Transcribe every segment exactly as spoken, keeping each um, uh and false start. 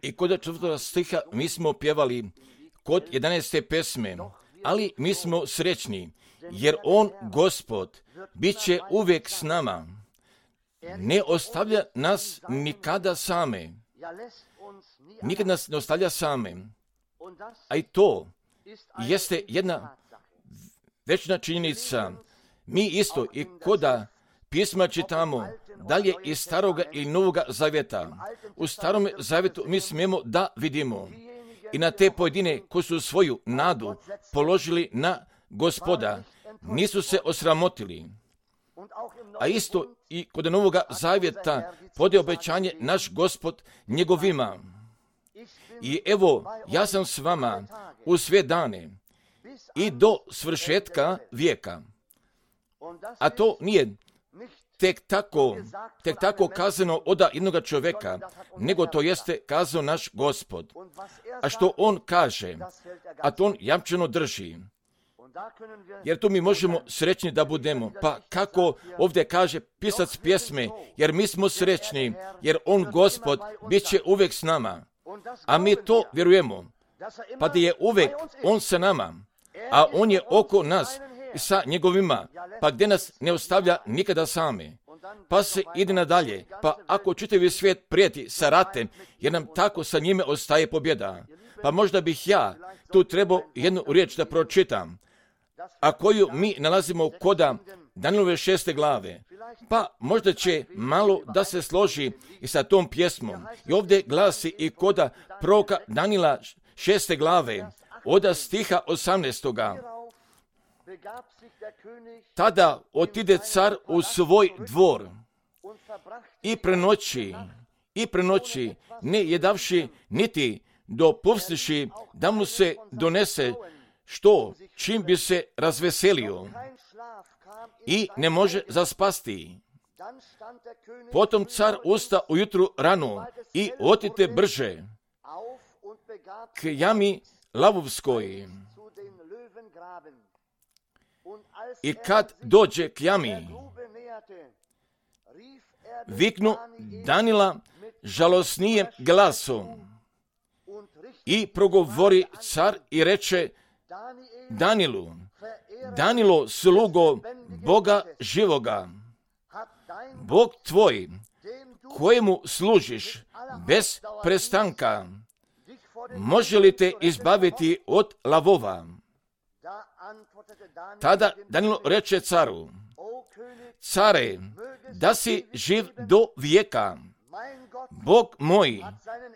I kod četvrtog stiha mi smo pjevali kod jedanaeste pesme, ali mi smo srećni, jer on, Gospod, bit će uvijek s nama. Ne ostavlja nas nikada same. Nikad nas ne ostavlja same. A i to jeste jedna večna činjenica. Mi isto i koda pisma čitamo, dalje iz staroga i novoga zavjeta. U starom zavjetu mi smijemo da vidimo i na te pojedine koji su svoju nadu položili na Gospoda, nisu se osramotili. A isto i kod novoga zavjeta pode obećanje naš Gospod njegovima. I evo, ja sam s vama u sve dane i do svršetka vijeka. A to nije tek tako, tek tako kazano od jednoga čovjeka, nego to jeste kazao naš Gospod. A što on kaže, a to on jamčeno drži. Jer tu mi možemo srećni da budemo. Pa kako ovdje kaže pisac pjesme, jer mi smo srećni, jer on, Gospod, bit će uvijek s nama. A mi to vjerujemo, pa da je uvijek on sa nama, a on je oko nas i sa njegovima, pa gdje nas ne ostavlja nikada same. Pa se ide nadalje, pa ako čitavi svijet prijeti sa ratem, jer nam tako sa njime ostaje pobjeda. Pa možda bih ja tu trebao jednu riječ da pročitam, a koju mi nalazimo koda Danilove šeste glave. Pa možda će malo da se složi i sa tom pjesmom. I ovdje glasi i koda proroka Danila šeste glave, od stiha osamnaestoga. Tada otide car u svoj dvor i prenoći, i prenoći, ne jedavši niti dopustivši da mu se donese što čim bi se razveselio i ne može zaspasti. Potom car usta ujutru rano i otite brže k jami lavovskoj. I kad dođe k jami, viknu Danila žalosnijem glasom i progovori car i reče Danilu, Danilo, slugo Boga živoga, Bog tvoj, kojemu služiš bez prestanka, može li te izbaviti od lavova? Tada Danilo reče caru, care, da si živ do vijeka, Bog moj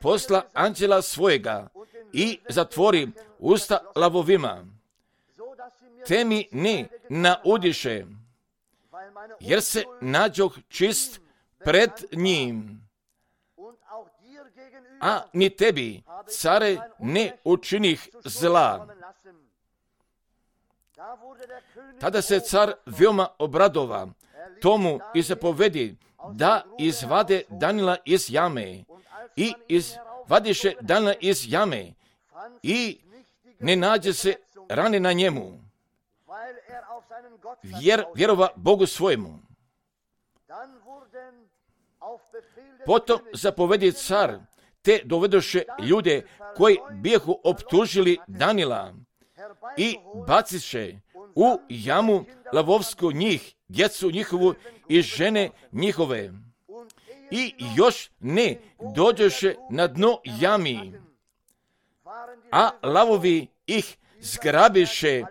posla anđela svojega i zatvori usta lavovima, te mi ne naudiše, jer se nađoh čist pred njim. A ni tebi, care, ne učinih zla. Tada se car veoma obradova tomu i zapovedi da izvade Danila iz jame. I izvadiše Danila iz jame i ne nađe se rane na njemu, jer vjerova Bogu svojemu. Potom zapovedi car, te dovedoše ljude koji bijehu optužili Danila i baciše u jamu lavovsku njih, djecu njihovu i žene njihove. I još ne dođoše na dno jami, a lavovi ih zgrabiše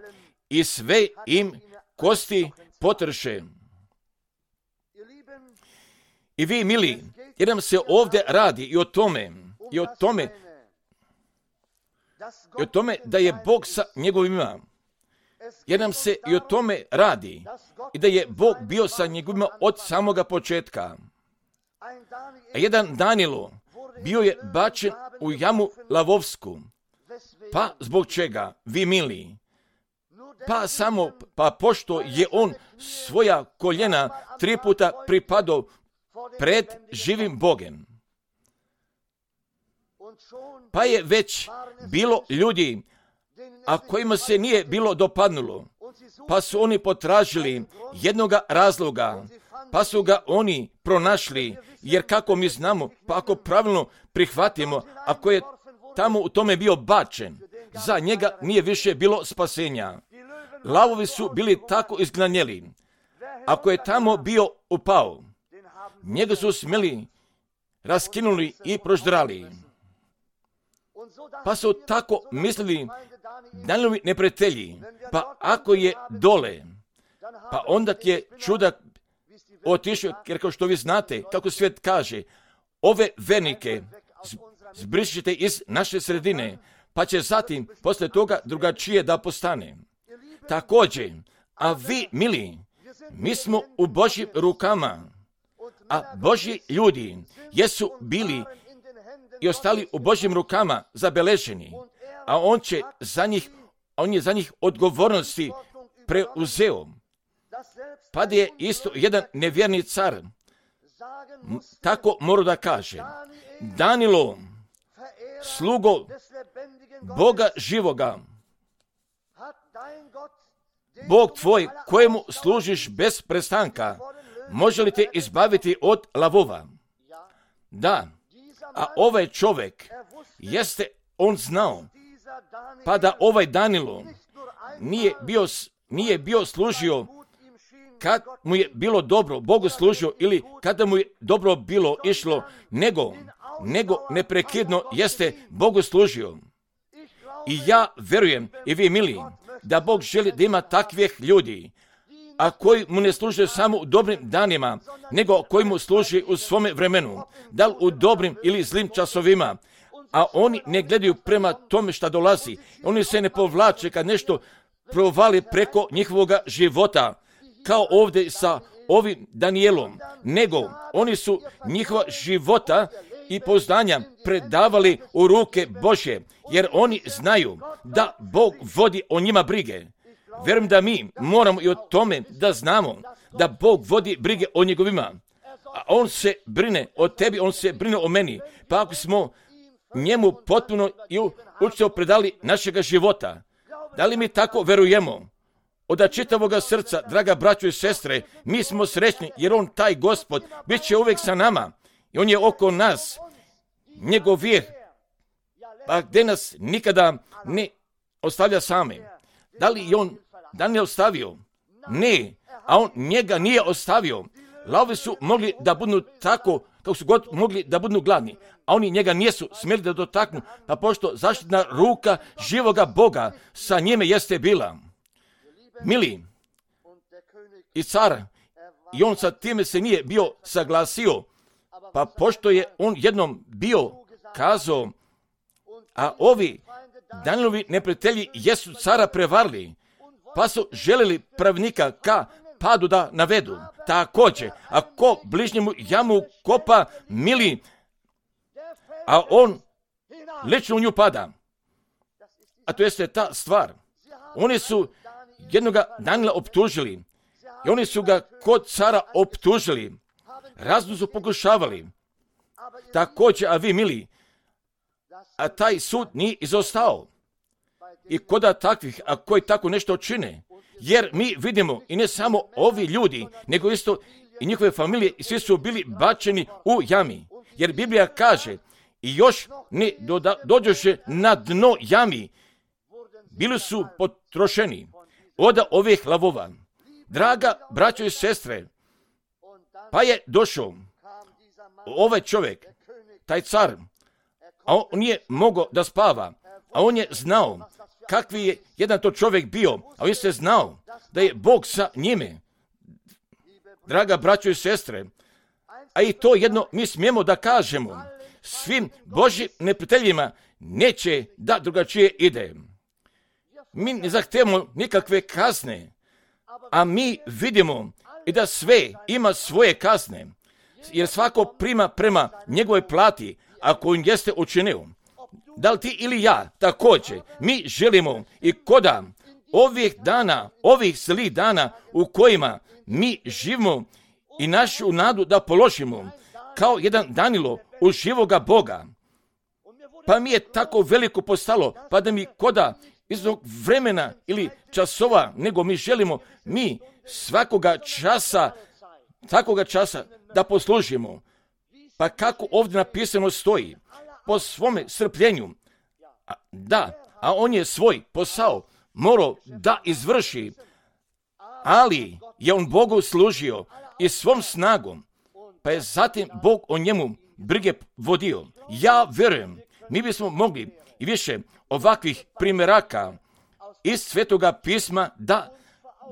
i sve im kosti potrše. I vi, mili, jer nam se ovdje radi i o tome, i o tome, i o tome da je Bog sa njegovima. Jer nam se i o tome radi i da je Bog bio sa njegovima od samoga početka. A jedan Danilo bio je bačen u jamu lavovsku. Pa zbog čega, vi mili? Pa samo, pa pošto je on svoja koljena tri puta pripadao pred živim Bogem. Pa je već bilo ljudi, a kojima se nije bilo dopadnulo, pa su oni potražili jednoga razloga pa su ga oni pronašli, jer kako mi znamo, pa ako pravilno prihvatimo, ako je tamo u tome bio bačen, za njega nije više bilo spasenja. Lavovi su bili tako izgnanjeli. Ako je tamo bio upao, njega su smjeli, raskinuli i proždrali. Pa su tako mislili Danijelovi neprijatelji, pa ako je dole, pa onda je čudak otišao, jer kao što vi znate, kako svijet kaže, ove vernike zbrišite iz naše sredine, pa će zatim posle toga drugačije da postane. Također, a vi, mili, mi smo u Božjim rukama, a Božji ljudi jesu bili i ostali u Božjim rukama zabeleženi, a on će za njih, on je za njih odgovornosti preuzeo. Pa da je isto jedan nevjerni car tako mora da kaže: Danilo, slugo Boga živoga, Bog tvoj kojemu služiš bez prestanka, može li te izbaviti od lavova? Da, a ovaj čovjek jeste on znao, pa da ovaj Danilo nije bio, nije bio služio kad mu je bilo dobro, Bogu služio, ili kada mu je dobro bilo išlo, nego, nego neprekidno jeste Bogu služio. I ja verujem, i vi mili, da Bog želi da ima takvih ljudi, a koji mu ne služe samo u dobrim danima, nego koji mu služi u svome vremenu, da li u dobrim ili zlim časovima, a oni ne gledaju prema tome šta dolazi. Oni se ne povlače kad nešto provali preko njihovog života, kao ovdje sa ovim Danijelom, nego oni su njihova života i poznanja predavali u ruke Božje, jer oni znaju da Bog vodi o njima brige. Vjerujem da mi moramo i o tome da znamo da Bog vodi brige o njegovima. A on se brine o tebi, on se brine o meni. Pa ako smo njemu potpuno i učito predali našega života, da li mi tako verujemo? Od čitavoga srca, draga braćo i sestre, mi smo srećni jer on, taj Gospod, bit će uvijek sa nama i on je oko nas. Njegov vijeh, pa gdje nas nikada ne ostavlja same. Da li je on Daniel ostavio? Ne, a on njega nije ostavio. Lavovi su mogli da budu tako, kako su god mogli da budu gladni, a oni njega nisu smjeli da dotaknu, pa pošto zaštitna ruka živoga Boga sa njime jeste bila. Mili, i car, i on sa time se nije bio saglasio, pa pošto je on jednom bio kazao, a ovi Danielovi neprijatelji jesu cara prevarili, pa su želeli pravnika ka padu da navedu. Također, ako bližnjemu jamu kopa, mili, a on lično u nju pada. A to jeste ta stvar. Oni su jednoga Daniela optužili i oni su ga kod cara optužili. Razno su pokušavali. Također, a vi, mili, a taj sud nije izostao. I koda takvih, a koji tako nešto čine, jer mi vidimo i ne samo ovi ljudi, nego isto i njihove familije, i svi su bili bačeni u jami. Jer Biblija kaže, i još ne doda, dođoše na dno jami, bili su potrošeni od ovih lavova. Draga braćo i sestre, pa je došao ovaj čovjek, taj car, a on nije mogao da spava, a on je znao kakvi je jedan to čovjek bio, a on je znao da je Bog sa njime. Draga braćo i sestre, a i to jedno mi smijemo da kažemo, svim Božjim neprijateljima neće da drugačije ide. Mi ne zahtevamo nikakve kazne, a mi vidimo i da sve ima svoje kazne, jer svako prima prema njegovoj plati, ako on jeste učinio. Da li ti ili ja, također, mi želimo i koda ovih dana, ovih zlih dana u kojima mi živimo i našu nadu da položimo, kao jedan Danilo u živoga Boga. Pa mi je tako veliko postalo, pa da mi koda iz vremena ili časova, nego mi želimo, mi svakoga časa takoga časa da poslužimo. Pa kako ovdje napisano stoji, po svome strpljenju, a, da, a on je svoj posao morao da izvrši, ali je on Bogu služio i svom snagom, pa je zatim Bog o njemu brige vodio. Ja vjerujem, mi bismo mogli i više ovakvih primjeraka iz Svetoga pisma da,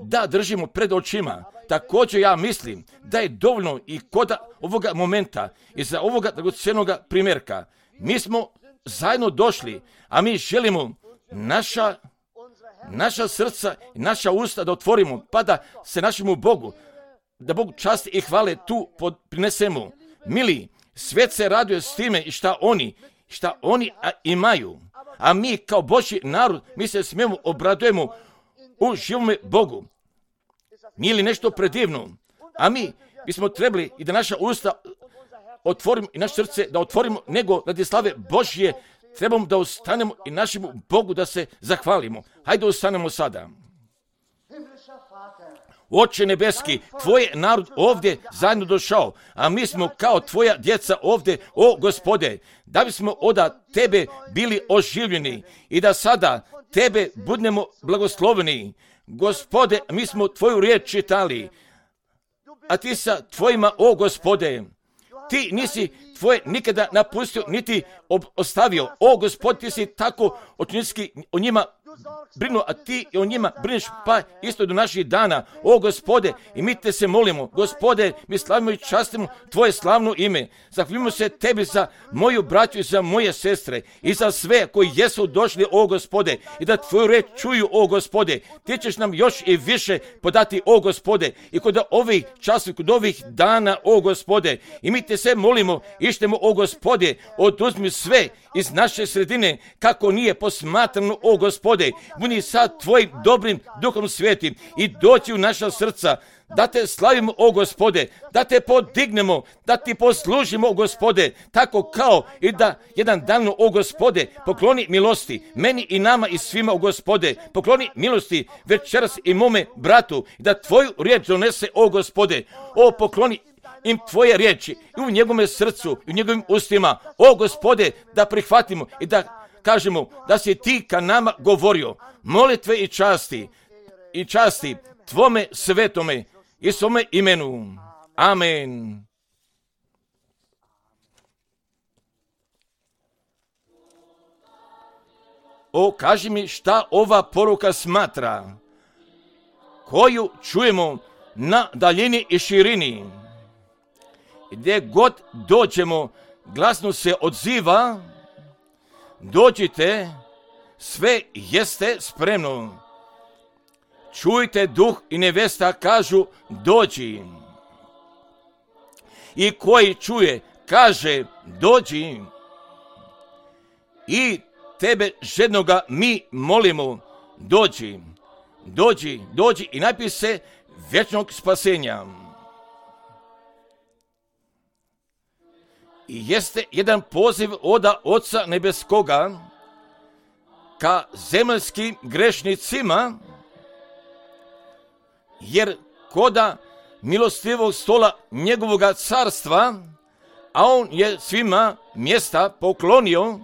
da držimo pred očima. Također ja mislim da je dovoljno i kod ovoga momenta i za ovoga dragocjenoga primjerka. Mi smo zajedno došli, a mi želimo naša, naša srca i naša usta da otvorimo, pa da se našemu Bogu, da Bog časti i hvale tu prinesemo. Mili, svijet se raduje s time i šta oni, šta oni imaju. A mi kao Božji narod, mi se smijemo obradujemo u živome Bogu. Nije li nešto predivno? A mi bismo trebali i da naša usta otvorimo i naše srce da otvorimo, nego radi slave Božje trebamo da ustanemo i našemu Bogu da se zahvalimo. Hajde ustanemo sada. Oče nebeski, tvoj narod ovdje zajedno došao, a mi smo kao tvoja djeca ovdje, o Gospode, da bismo oda tebe bili oživljeni i da sada tebe budemo blagosloveni. Gospode, mi smo tvoju riječ čitali, a ti sa tvojima, o Gospode, ti nisi tvoje nikada napustio, niti ostavio. O Gospod, ti si tako očinski o njima brinu, a ti i o njima brineš, pa isto do naših dana. O Gospode, i mi te se molimo, Gospode, mi slavimo i častimo tvoje slavno ime. Zahvaljujemo se tebi za moju braću i za moje sestre i za sve koji jesu došli, o Gospode, i da tvoju reč čuju, o Gospode. Ti ćeš nam još i više podati, o Gospode, i kod ovih časova, kod ovih dana, o Gospode, i mi te se molimo, ištemo, o Gospode, oduzmi sve iz naše sredine, kako nije posmatrano, o Gospode, budi sad tvojim dobrim duhom svetim i doći u naša srca, da te slavimo, o Gospode, da te podignemo, da ti poslužimo, o Gospode, tako kao i da jedan dan, o Gospode, pokloni milosti meni i nama i svima, o Gospode, pokloni milosti večeras i mome bratu, da tvoju riječ donese, o Gospode, o pokloni im tvoje riječi i u njegovome srcu i u njegovim ustima, o Gospode, da prihvatimo i da kažemo da si ti ka nama govorio. Molitve i časti i časti tvome svetome i svome imenu. Amen. O, kaži mi šta ova poruka smatra, koju čujemo na daljini i širini. Gdje god dođemo, glasno se odziva, dođite, sve jeste spremno. Čujte, duh i nevesta kažu, dođi. I koji čuje, kaže, dođi. I tebe žednoga mi molimo, dođi, dođi, dođi i napij se vječnog spasenja. I jeste jedan poziv oda Oca Nebeskoga ka zemaljskim grešnicima, jer koda milostivog stola njegovoga carstva, a on je svima mjesta poklonio,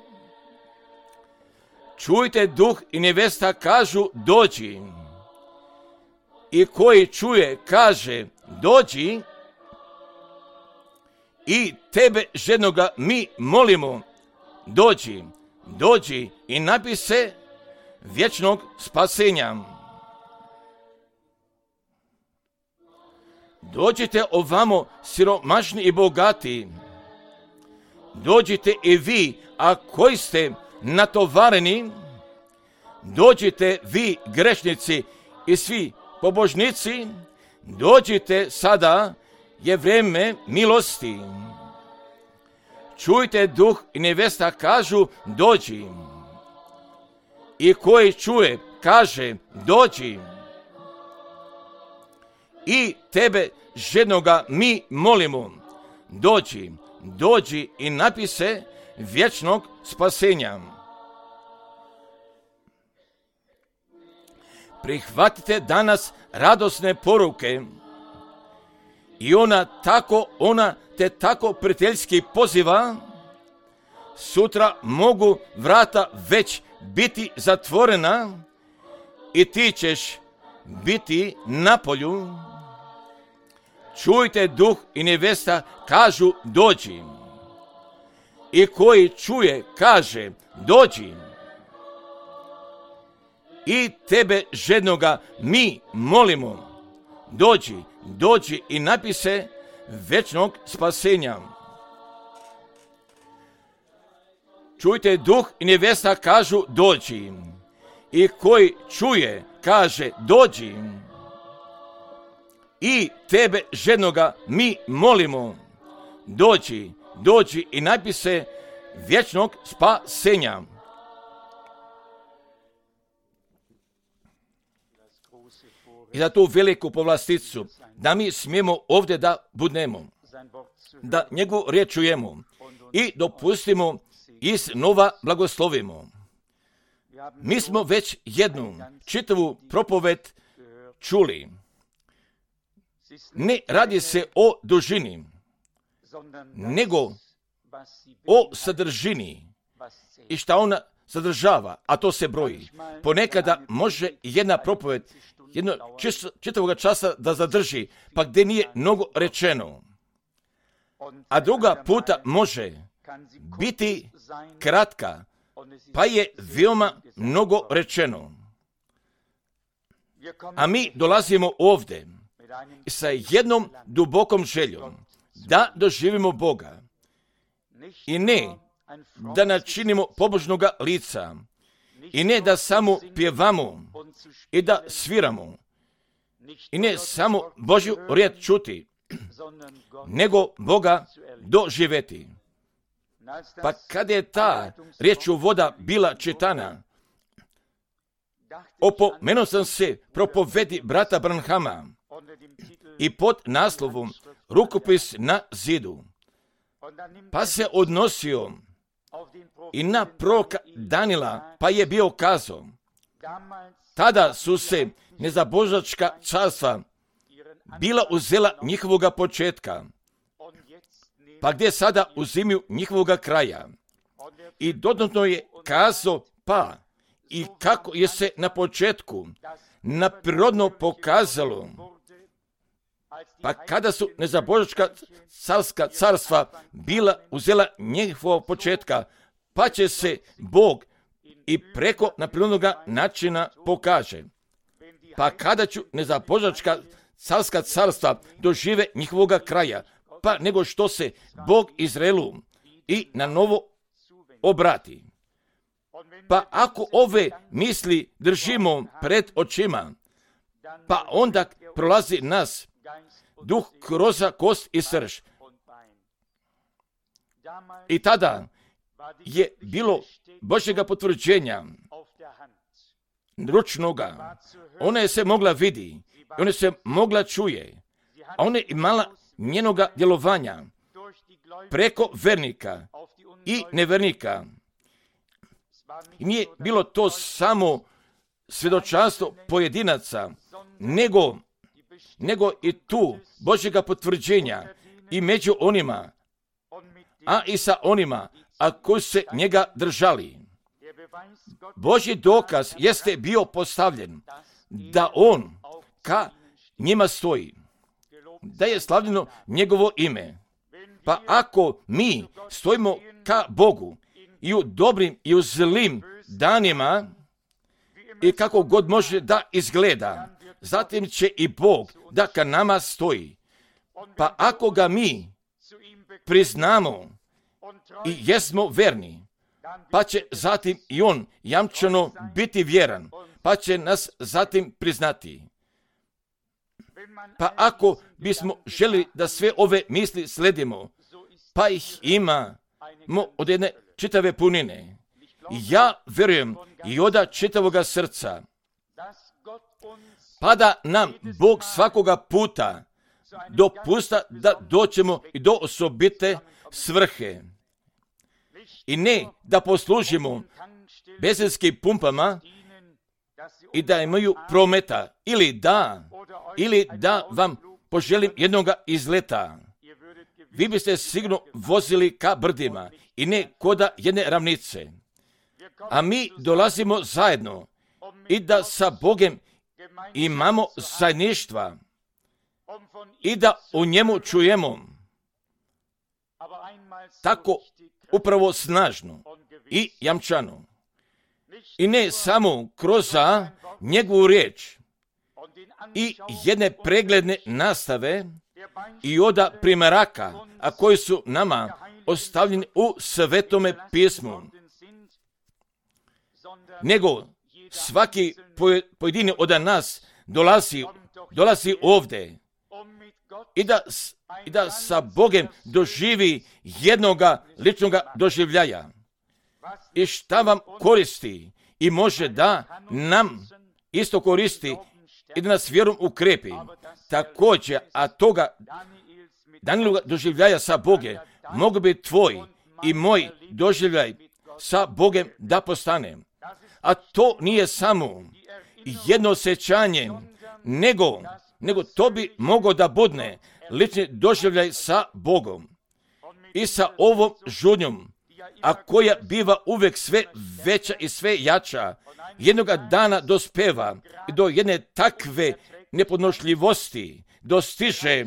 čujte, duh i nevesta kažu, dođi. I koji čuje, kaže, dođi. I tebe žednoga mi molimo, dođi, dođi i napij se vječnog spasenja. Dođite ovamo, siromašni i bogati, dođite i vi, a koji ste natovareni, dođite vi grešnici i svi pobožnici, dođite sada, je vrijeme milosti. Čujte, duh i nevesta kažu, dođi. I koji čuje, kaže, dođi. I tebe žednoga mi molimo, dođi, dođi i napij se vječnog spasenja. Prihvatite danas radosne poruke i ona tako, ona te tako prijateljski poziva, sutra mogu vrata već biti zatvorena i ti ćeš biti na polju. Čujte, duh i nevesta kažu dođi. I koji čuje kaže dođi. I tebe žednoga mi molimo, dođi, dođi i napise večnog spasenja. Čujte, duh i nevesta kažu dođi. I koji čuje kaže dođi. I tebe žednoga mi molimo, dođi, dođi i napise vječnog spasenja. I za tu veliku povlasticu, da mi smijemo ovdje da budemo, da njegovu riječ čujemo i dopustimo iznova blagoslovimo. Mi smo već jednu čitavu propoved čuli. Ne radi se o dužini, nego o sadržini i šta ona sadržava, a to se broji. Ponekada može jedna propoved jedno čitavog časa da zadrži, pa gdje nije mnogo rečeno. A druga puta može biti kratka, pa je veoma mnogo rečeno. A mi dolazimo ovdje sa jednom dubokom željom da doživimo Boga i ne da načinimo pobožnoga lica i ne da samo pjevamo i da sviramo i ne samo Božju riječ čuti, nego Boga doživjeti. Pa kada je ta riječ u voda bila čitana, opomenuo sam se propovedi brata Branhama i pod naslovom Rukopis na zidu, pa se odnosio i na proroka Danila, pa je bio kazao, tada su se nezabožačka carstva bila uzela njihovoga početka, pa gdje sada uzimaju njihovoga kraja. I dodatno je kazao pa i kako je se na početku naprirodno pokazalo, pa kada su nezabožačka carska carstva bila uzela njihovog početka, pa će se Bog i preko naprirodnog načina pokaže. Pa kada ću nezabožačka carska carstva dožive njihovoga kraja, pa nego što se Bog Izraelu i na novo obrati. Pa ako ove misli držimo pred očima, pa onda prolazi nas duh kroz kost i srž. I tada je bilo Božjega potvrđenja ručnoga. Ona je se mogla vidi, ona se mogla čuje, a ona je imala njenoga djelovanja preko vernika i nevernika. I nije bilo to samo svjedočanstvo pojedinaca, nego, nego i tu Božjega potvrđenja i među onima, a i sa onima, a koji se njega držali. Božji dokaz jeste bio postavljen da on ka njima stoji, da je slavljeno njegovo ime. Pa ako mi stojimo ka Bogu i u dobrim i u zlim danima i kako god može da izgleda, zatim će i Bog da ka nama stoji. Pa ako ga mi priznamo i jesmo verni, pa će zatim i on jamčeno biti vjeran, pa će nas zatim priznati. Pa ako bismo želi da sve ove misli sledimo, pa ih imamo od jedne čitave punine. Ja vjerujem i od čitavoga srca, pa da nam Bog svakoga puta dopusta da doćemo i do osobite svrhe. I ne da poslužimo benzinskim pumpama i da imaju prometa, ili da, ili da vam poželim jednoga izleta, vi biste sigurno vozili ka brdima i ne koda jedne ravnice. A mi dolazimo zajedno i da sa Bogom imamo zajedništva i da u njemu čujemo tako upravo snažno i jamčano. I ne samo kroz njegovu riječ i jedne pregledne nastave i oda primjeraka, a koji su nama ostavljeni u Svetome pismu, nego svaki pojedini od nas dolazi, dolazi ovdje i da, i da sa Bogom doživi jednoga ličnoga doživljaja. I šta vam koristi i može da nam isto koristi i da nas vjerom ukrepi. Također, a toga Danijeloga doživljaja sa Bogom mogu bi tvoj i moj doživljaj sa Bogom da postane. A to nije samo jedno osjećanje, nego, nego to bi moglo da budne lični doživljaj sa Bogom i sa ovom žudnjom, a koja biva uvijek sve veća i sve jača, jednoga dana dospeva do jedne takve nepodnošljivosti, dostiže,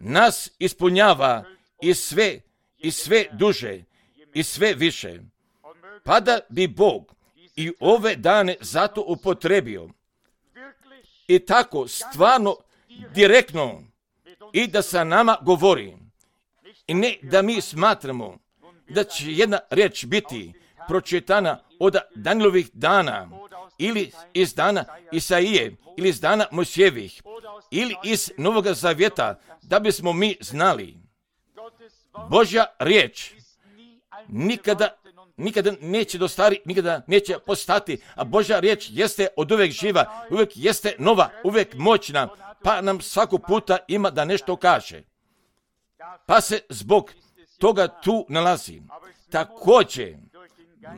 nas ispunjava i sve, i sve duže, i sve više. Pa da bi Bog i ove dane zato upotrebio i tako stvarno direktno i da sa nama govori. I ne da mi smatramo da će jedna riječ biti pročitana od Danijelovih dana ili iz dana Isaije ili iz dana Mojsijevih ili iz Novoga Zavjeta, da bismo mi znali. Božja riječ nikada, nikada neće dostari, nikada neće postati, a Božja riječ jeste od uvijek živa, uvijek jeste nova, uvijek moćna, pa nam svako puta ima da nešto kaže. Pa se zbog toga tu nalazi. Također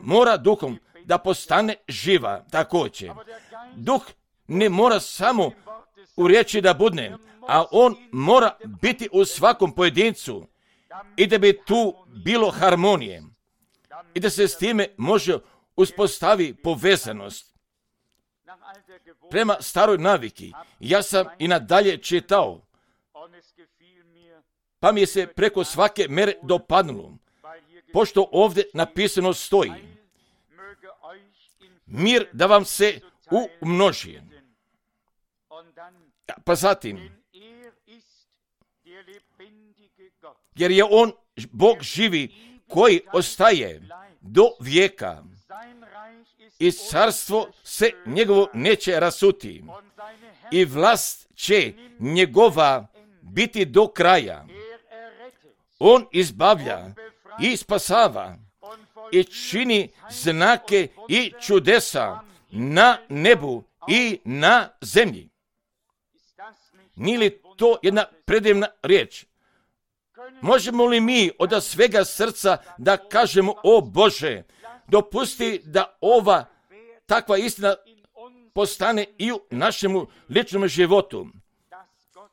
mora duhom da postane živa, također. Duh ne mora samo u riječi da budne, a on mora biti u svakom pojedincu i da bi tu bilo harmonije i da se s time može uspostavi povezanost. Prema staroj naviki, ja sam i nadalje čitao, pa mi je se preko svake mere dopadnulo, pošto ovdje napisano stoji: mir da vam se umnoži. Pa zatim, jer je on Bog živi koji ostaje do vijeka i carstvo se njegovo neće rasuti i vlast će njegova biti do kraja. On izbavlja i spasava i čini znake i čudesa na nebu i na zemlji. Nije li to jedna predivna riječ? Možemo li mi od svega srca da kažemo: o Bože, dopusti da ova takva istina postane i u našemu ličnom životu,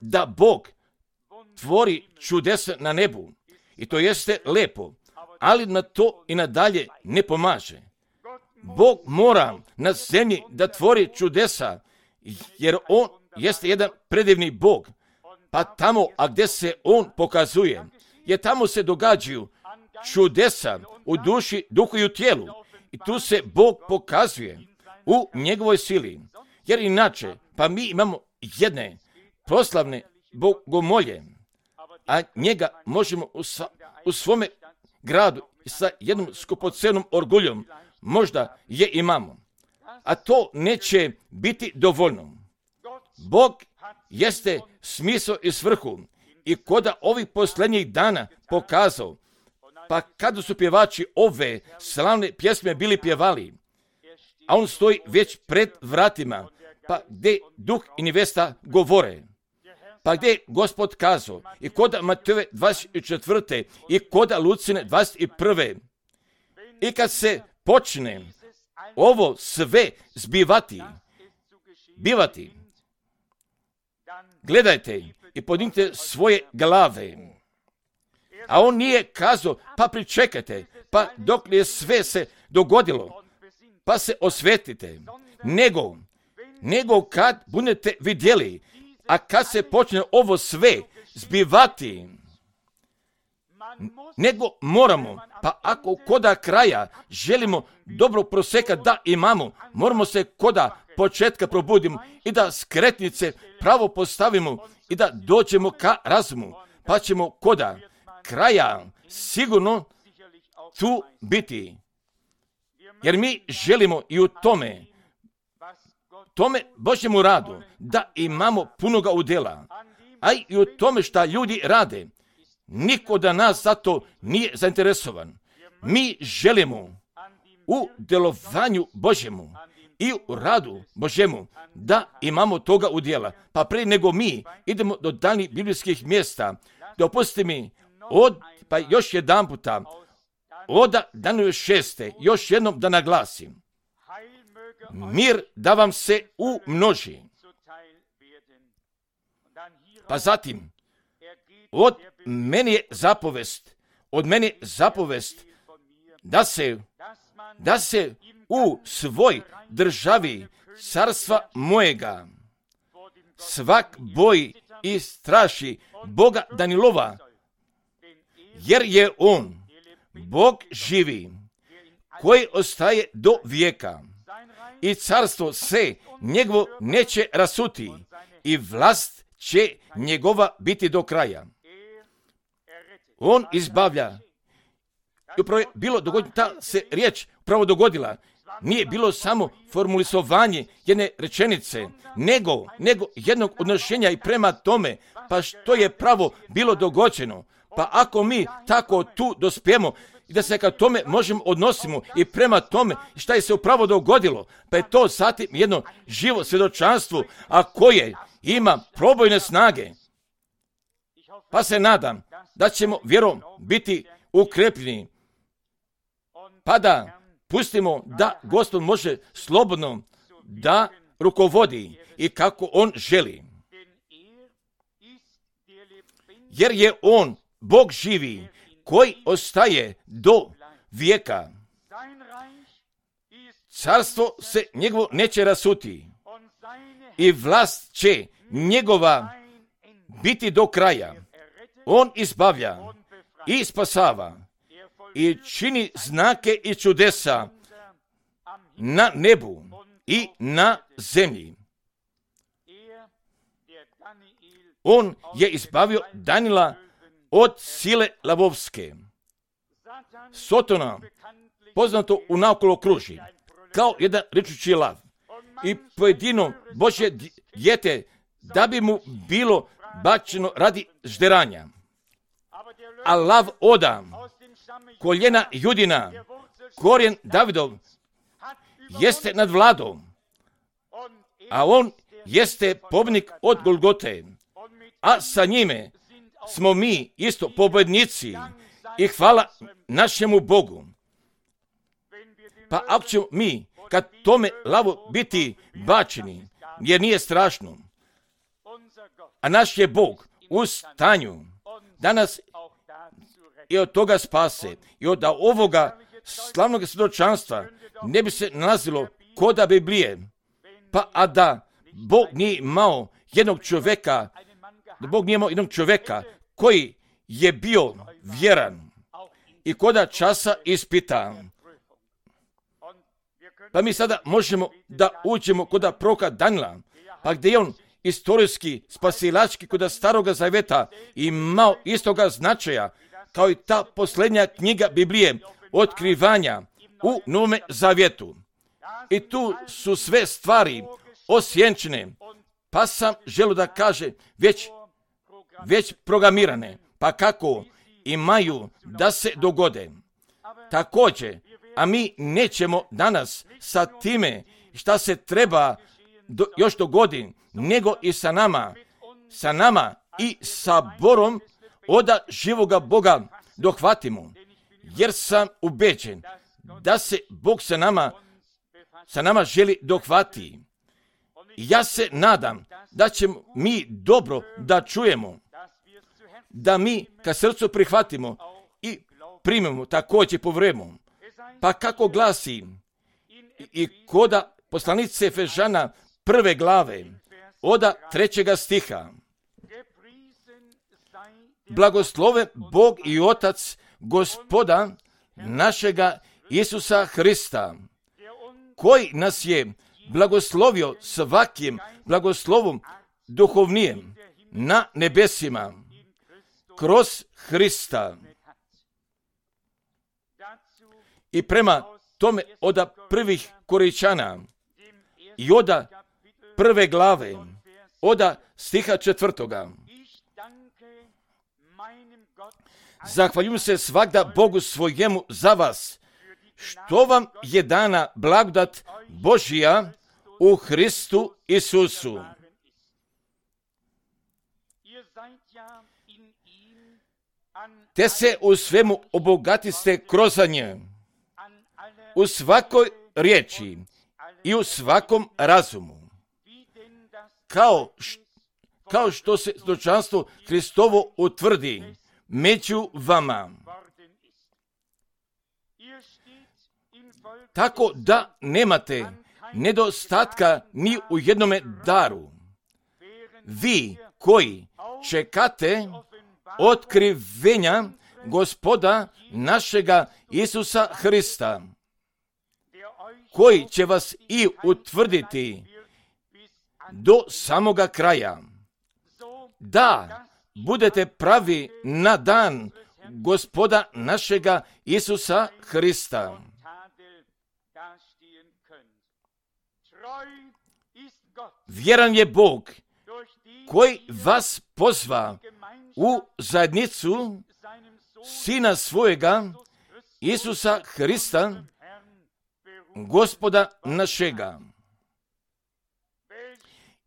da Bog tvori čudesa na nebu. I to jeste lepo, ali na to i nadalje ne pomaže. Bog mora na zemlji da tvori čudesa, jer on jeste jedan predivni Bog. Pa tamo, a gdje se on pokazuje, jer tamo se događaju čudesa u duši, duhu i u tijelu. I tu se Bog pokazuje u njegovoj sili. Jer inače, pa mi imamo jedne proslavne bogomolje, a njega možemo u, sa, u svome gradu sa jednom skupocenom orguljom možda je imamo. A to neće biti dovoljno. Bog jeste smisao i svrhu i koda ovih posljednjih dana pokazao, pa kada su pjevači ove slavne pjesme bili pjevali, a on stoji već pred vratima, pa gdje duh i nevesta govore, pa gdje je Gospod kazao, i koda Matejove dvadeset četvrte i koda Lucine dvadeset prve. I kad se počne ovo sve zbivati, bivati, gledajte, i podignite svoje glave. A on nije kazao, pa pričekajte, pa dok je sve se dogodilo, pa se osvetite, nego, nego kad budete vidjeli, a kad se počne ovo sve zbivati, nego moramo, pa ako koda kraja želimo dobro proseka da imamo, moramo se koda početka probudimo i da skretnice pravo postavimo i da dođemo ka razumu, pa ćemo koda kraja sigurno tu biti. Jer mi želimo i u tome, tome Božjemu radu, da imamo punoga udjela, a i u tome šta ljudi rade. Niko da nas zato nije zainteresovan. Mi želimo u djelovanju Božjemu i u radu Božjemu da imamo toga udjela. Pa prije nego mi idemo do daljnjih biblijskih mjesta, dopustite mi od, pa još jedan puta, od Danijela šeste, još jednom da naglasim. Mir da vam se umnoži. Pa zatim, od meni je zapovest, od meni je zapovest da se, da se u svoj državi carstva mojega svak boji i straši Boga Danilova, jer je on Bog živi, koji ostaje do vijeka i carstvo se njegovo neće rasuti i vlast će njegova biti do kraja. On izbavlja. I upravo je bilo dogodilo, ta se riječ upravo dogodila. Nije bilo samo formulisovanje jedne rečenice, nego, nego jednog odnošenja i prema tome, pa što je pravo bilo dogođeno. Pa ako mi tako tu dospijemo i da se ka tome možemo odnosimo i prema tome šta je se upravo dogodilo, pa je to zatim jedno živo svjedočanstvo, a koje ima probojne snage. Pa se nadam da ćemo vjerom biti ukrepljeni, pa da pustimo da Gospod može slobodno da rukovodi i kako on želi. Jer je on Bog živi, koji ostaje do vijeka. Carstvo se njegovo neće rasuti i vlast će njegova biti do kraja. On izbavlja i spasava i čini znake i čudesa na nebu i na zemlji. On je izbavio Danila od sile lavovske. Sotona, poznato u naokolo kruži, kao jedan ričući lav. I pojedino Božje dijete, da bi mu bilo bačeno radi žderanja. A lav oda, koljena Judina, korijen Davidov, jeste nad vladom, a on jeste pobjednik od Golgote, a sa njime smo mi isto pobjednici i hvala našemu Bogu. Pa ako ćemo mi kad tome lavu biti bačeni, jer nije strašno, a naš je Bog u stanju da nas i od toga spase i od ovoga slavnog svjedočanstva ne bi se nalazilo koda Biblije, pa a da Bog nije imao jednog čovjeka, da Bog nije imao jednog čovjeka koji je bio vjeran i koda časa ispita. Pa mi sada možemo da uđemo koda proroka Danila, pa gdje je on istorijski, spasilački koda staroga zaveta imao istoga značaja kao i ta posljednja knjiga Biblije, otkrivanja u Novome zavjetu. I tu su sve stvari osjenčene, pa sam želio da kaže već, već programirane, pa kako imaju da se dogode. Također, a mi nećemo danas sa time šta se treba do, još dogodi, nego i sa nama, sa nama i sa Borom oda živoga Boga dohvatimo, jer sam ubeđen da se Bog sa nama, sa nama želi dohvati. Ja se nadam da ćemo mi dobro da čujemo, da mi ka srcu prihvatimo i primemo također po vremenu. Pa kako glasi i koda poslanice Efežana prve glave, oda trećega stiha. Blagoslove Bog i Otac Gospoda našega Isusa Hrista, koji nas je blagoslovio svakim blagoslovom duhovnijem na nebesima kroz Hrista. I prema tome oda prvih Korinčana i oda prve glave, oda stiha četvrtoga. Zahvaljujem se svagda Bogu svojemu za vas, što vam je dana blagodat Božija u Hristu Isusu. Te se u svemu obogatiste kroz nje, u svakoj riječi i u svakom razumu, kao, š, kao što se stočanstvo Hristovo utvrdi među vama. Tako da nemate nedostatka ni u jednome daru. Vi koji čekate otkrivenja Gospoda našega Isusa Hrista, koji će vas i utvrditi do samoga kraja, da budete pravi na dan Gospoda našega Isusa Hrista. Vjeran je Bog koji vas pozva u zajednicu Sina svojega Isusa Hrista, Gospoda našega.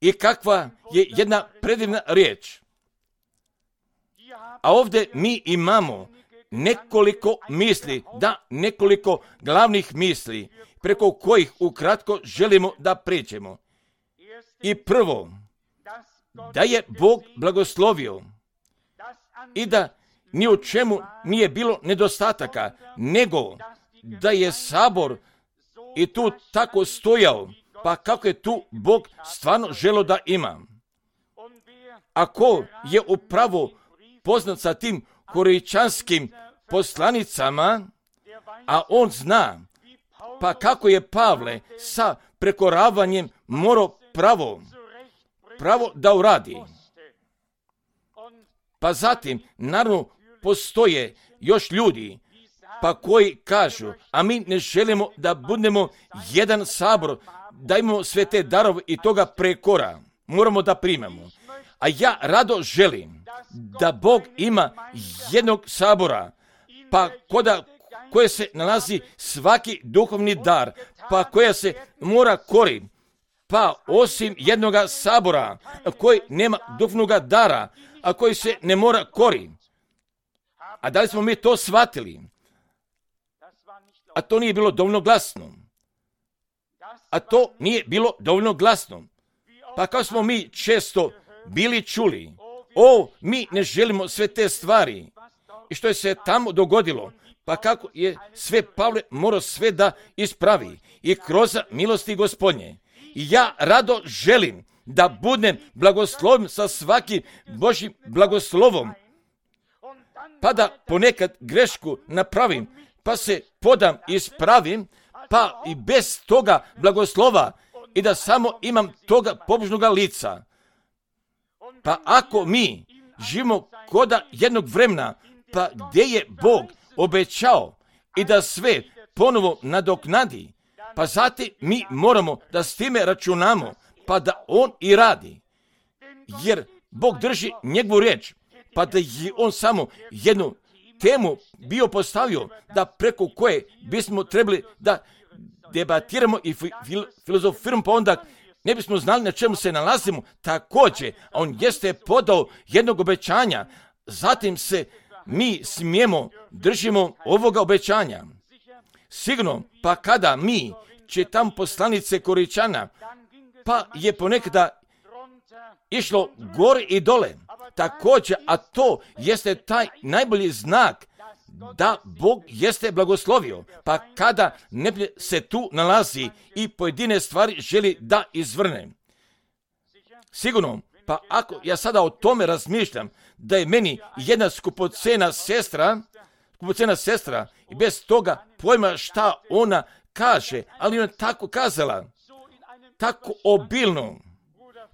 I kakva je jedna predivna riječ. A ovdje mi imamo nekoliko misli, da nekoliko glavnih misli, preko kojih ukratko želimo da pređemo. I prvo, da je Bog blagoslovio i da ni u čemu nije bilo nedostataka, nego da je sabor i tu tako stojao, pa kako je tu Bog stvarno želio da ima. Ako je upravo poznat sa tim korinčanskim poslanicama, a on zna, pa kako je Pavle sa prekoravanjem morao pravo, pravo da uradi. Pa zatim, naravno, postoje još ljudi, pa koji kažu, a mi ne želimo da budemo jedan sabor, da imamo sve te darove i toga prekora. Moramo da primemo. A ja rado želim da Bog ima jednog sabora, pa koda koje se nalazi svaki duhovni dar, pa koja se mora kori, pa osim jednoga sabora koji nema duhovnoga dara, a koji se ne mora kori. A da li smo mi to shvatili? A to nije bilo dovoljno glasno. A to nije bilo dovoljno glasno. Pa kao smo mi često bili čuli, o, mi ne želimo sve te stvari. I što je se tamo dogodilo? Pa kako je sve Pavle morao sve da ispravi i kroz milosti Gospodnje. I ja rado želim da budem blagosloven sa svakim Božjim blagoslovom, pa da ponekad grešku napravim, pa se podam i ispravim, pa i bez toga blagoslova i da samo imam toga pobožnoga lica. Pa ako mi živimo koda jednog vremena, pa gdje je Bog obećao i da sve ponovo nadoknadi, pa zatim mi moramo da s time računamo, pa da On i radi. Jer Bog drži njegovu riječ, pa da je On samo jednu temu bio postavio, da preko koje bismo trebali da debatiramo i fil- filozofiramo, pa onda ne bismo znali na čemu se nalazimo. Također, On jeste podao jednog obećanja, zatim se mi smijemo, držimo ovoga obećanja. Sigurno, pa kada mi čitam poslanice Korinčana, pa je ponekada išlo gore i dole. Također, a to jeste taj najbolji znak da Bog jeste blagoslovio. Pa kada neprijatelj se tu nalazi i pojedine stvari želi da izvrne. Sigurno, pa ako ja sada o tome razmišljam, da je meni jedna skupocena sestra, skupocena sestra i bez toga pojma šta ona kaže, ali ona tako kazala, tako obilno.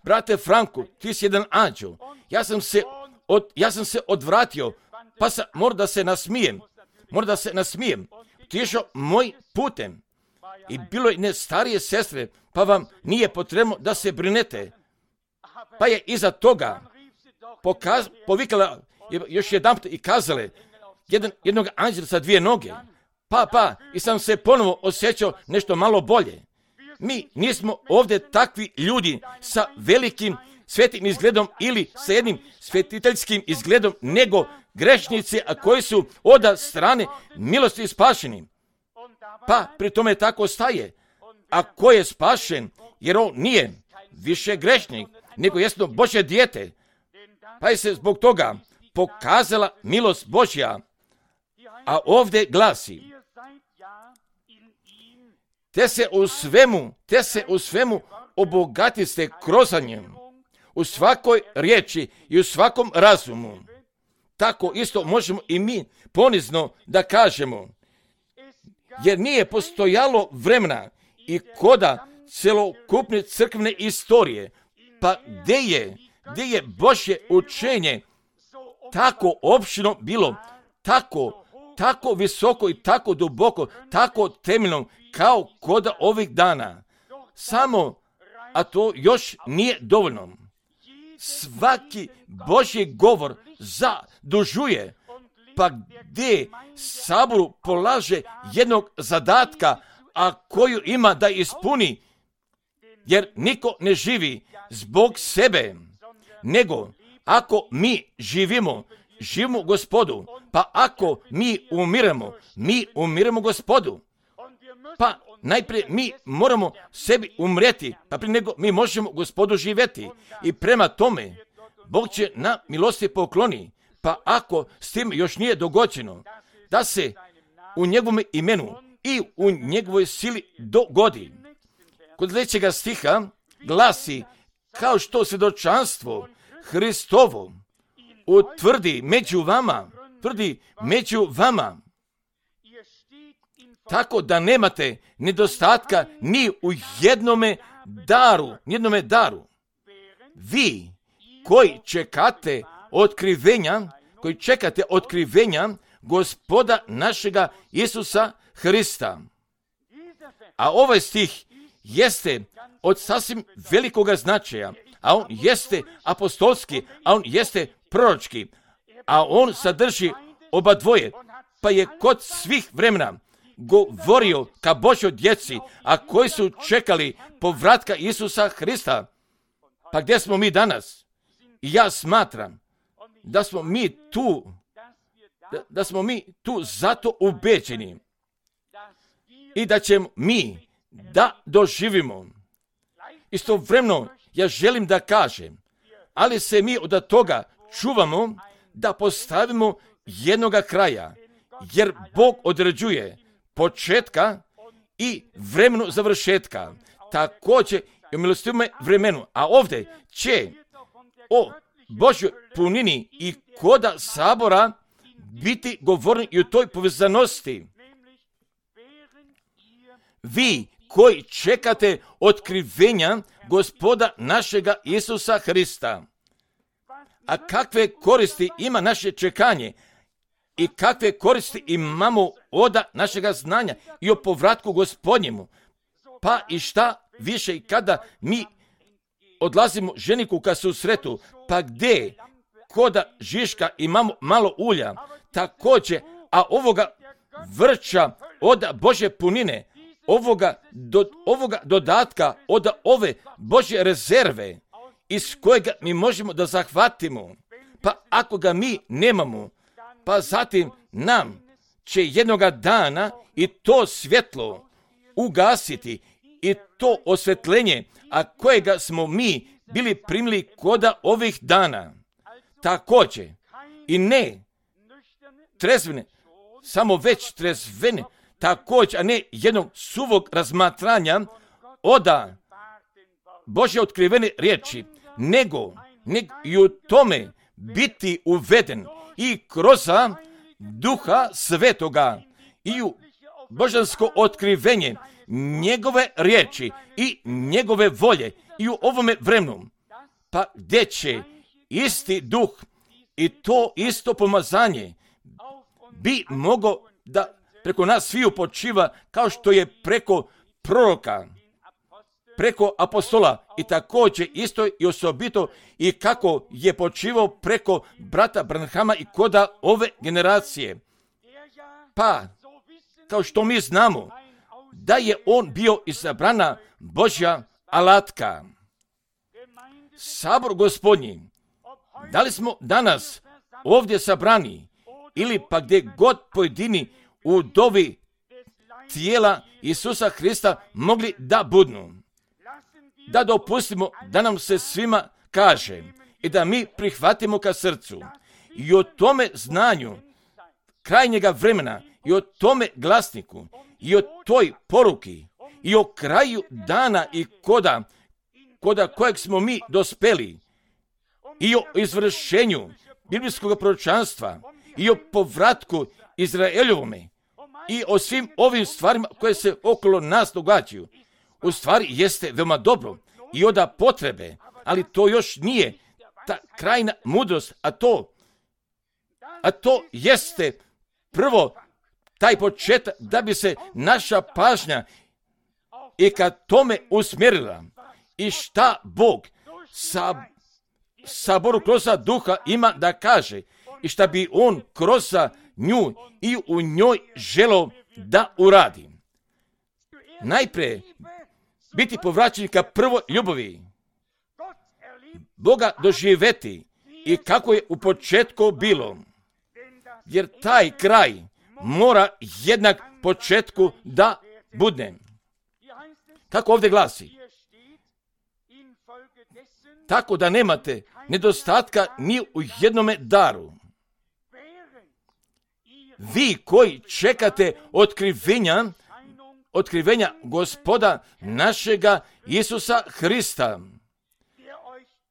Brate Franku, ti si jedan anđel. Ja sam se, od, ja sam se odvratio, pa sam mora da se nasmijem. Mora da se nasmijem. Otišao moj putem. I bilo je ne starije sestre, pa vam nije potrebno da se brinete. Pa je iza toga pokaz, povikala još jedan put i kazale jedan, jednog anđela sa dvije noge. Pa, pa, i sam se ponovo osjećao nešto malo bolje. Mi nismo ovdje takvi ljudi sa velikim svetim izgledom ili sa jednim svetiteljskim izgledom, nego grešnici, a koji su od strane milosti spašeni. Pa pri tome tako staje. A ko je spašen, jer on nije više grešnik, nego jasno Božje dijete. Pa je se zbog toga pokazala milost Božja. A ovdje glasi, te se u svemu, te se u svemu obogatiste kroz njem, u svakoj riječi i u svakom razumu. Tako isto možemo i mi ponizno da kažemo, jer nije postojalo vremena i koda celokupne crkvene istorije, pa gdje je, gdje je Božje učenje tako opširno bilo, tako, tako visoko i tako duboko, tako temeljno kao koda ovih dana. Samo, a to još nije dovoljno. Svaki Božji govor zadužuje, pa gdje saboru polaže jednog zadatka, a koju ima da ispuni, jer niko ne živi zbog sebe, nego ako mi živimo, živimo Gospodu, pa ako mi umiremo, mi umiremo Gospodu. Pa najprije mi moramo sebi umreti, pa prije nego mi možemo Gospodu živjeti. I prema tome, Bog će na milosti pokloni, pa ako s tim još nije dogođeno, da se u njegovom imenu i u njegovoj sili dogodi. Kod sljedećega stiha glasi, kao što svjedočanstvo Hristovo utvrdi među vama, tvrdi među vama, tako da nemate nedostatka ni u jednome daru, jednome daru. Vi koji čekate otkrivenja, koji čekate otkrivenja Gospoda našega Isusa Hrista. A ovaj stih jeste od sasvim velikoga značaja, a on jeste apostolski, a on jeste proročki, a on sadrži oba dvoje, pa je kod svih vremena govorio ka Božjoj djeci, a koji su čekali povratka Isusa Hrista. Pa gdje smo mi danas? I ja smatram da smo mi tu, da, da smo mi tu zato ubeđeni i da ćemo mi da doživimo. Istovremeno ja želim da kažem, ali se mi od toga čuvamo da postavimo jednoga kraja, jer Bog određuje početka i vremenu završetka, također i u milostivome vremenu. A ovdje će o Božjoj punini i koda sabora biti govorni i u toj povezanosti. Vi koji čekate otkrivenja Gospoda našega Isusa Hrista. A kakve koristi ima naše čekanje i kakve koristi imamo od našega znanja i o povratku Gospodnjemu. Pa i šta više i kada mi odlazimo ženiku ka susretu, pa gdje koda žiška imamo malo ulja, također, a ovoga vrča od Božje punine, ovoga, do, ovoga dodatka od ove Božje rezerve iz kojega mi možemo da zahvatimo, pa ako ga mi nemamo, pa zatim nam će jednoga dana i to svjetlo ugasiti i to osvetljenje, a kojega smo mi bili primili koda ovih dana. Također, i ne trezvene, samo već trezvene, također, a ne jednog suvog razmatranja oda Božje otkrivene riječi, nego, nego i u tome biti uveden i kroz Duha Svetoga i u božansko otkrivenje njegove riječi i njegove volje i u ovome vremenu, pa gdje će isti duh i to isto pomazanje bi mogao da preko nas sviju počiva kao što je preko proroka, preko apostola i također isto i osobito i kako je počivao preko brata Branhama i koda ove generacije. Pa, kao što mi znamo, da je on bio izabrana Božja alatka. Sabor Gospodnji, da li smo danas ovdje sabrani ili pa gdje god pojedini u dovi tijela Isusa Hrista mogli da budnu, da dopustimo da nam se svima kaže i da mi prihvatimo ka srcu i o tome znanju krajnjega vremena i o tome glasniku i o toj poruki i o kraju dana i koda, koda kojeg smo mi dospeli i o izvršenju biblijskog proročanstva i o povratku Izraeljovome i o svim ovim stvarima koje se okolo nas događaju. U stvari jeste veoma dobro i oda potrebe, ali to još nije ta krajna mudrost, a to, a to jeste prvo taj početak da bi se naša pažnja i kad tome usmjerila i šta Bog sa saboru kroz duha ima da kaže i šta bi on kroz nju i u njoj želeo da uradi. Najprije biti povraćen ka prvoj ljubavi, Boga doživjeti i kako je u početku bilo, jer taj kraj mora jednak početku da bude. Kako ovdje glasi? Tako da nemate nedostatka ni u jednome daru. Vi koji čekate otkrivenja, otkrivenja Gospoda našega Isusa Hrista,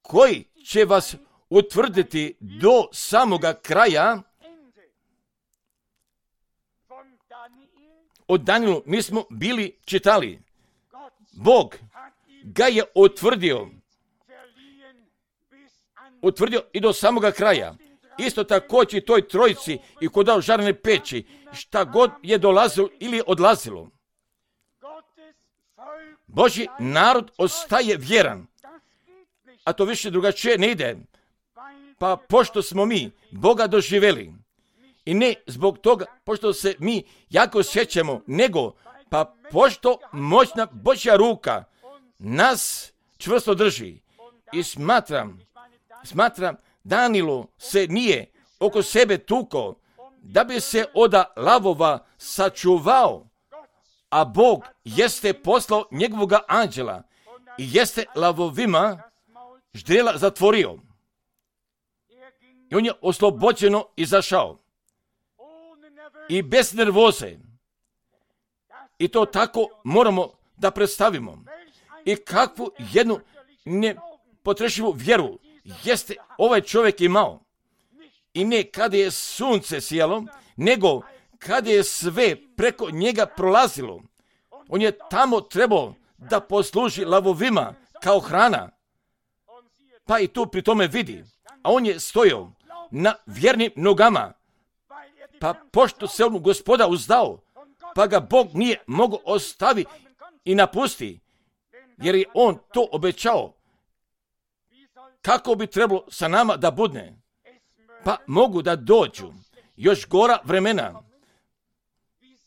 koji će vas utvrditi do samoga kraja. Od Danielu mi smo bili čitali. Bog ga je utvrdio, utvrdio i do samoga kraja. Isto također i toj trojici i kodao žarne peći, šta god je dolazilo ili odlazilo. Božji narod ostaje vjeran, a to više drugačije ne ide. Pa pošto smo mi Boga doživjeli, i ne zbog toga pošto se mi jako sjećamo, nego pa pošto moćna Božja ruka nas čvrsto drži. I smatram, smatram Danielu se nije oko sebe tuko da bi se oda lavova sačuvao, a Bog jeste poslao njegovoga anđela i jeste lavovima ždrijela zatvorio. I on je oslobođeno izašao. I bez nervoze. I to tako moramo da predstavimo. I kakvu jednu nepotrešivu vjeru jeste ovaj čovjek imao. I ne kada je sunce sijalo, nego kada je sve preko njega prolazilo. On je tamo trebao da posluži lavovima kao hrana. Pa i tu pri tome vidi. A on je stojao na vjernim nogama. Pa pošto se on Gospoda uzdao, pa ga Bog nije mogao ostavi i napusti, jer je on to obećao. Kako bi trebalo sa nama da budne? Pa mogu da dođu još gora vremena.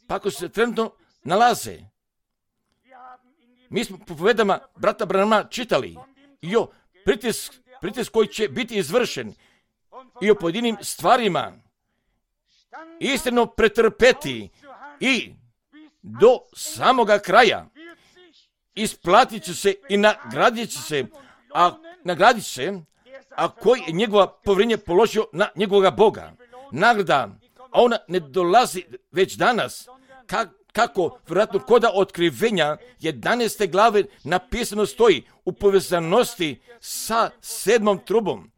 Pa ako se trenutno nalaze. Mi smo po povedama brata Branhama čitali i o pritisk, pritisk koji će biti izvršen i o pojedinim stvarima istino pretrpeti i do samoga kraja isplatit će se i nagradit će se, a nagradit će se, a koji je njegova povjerenje položio na njegovoga Boga. Nagrada, a ona ne dolazi već danas, Ka, kako vjerojatno koda otkrivenja jedanaeste glave napisano stoji u povezanosti sa sedmom trubom.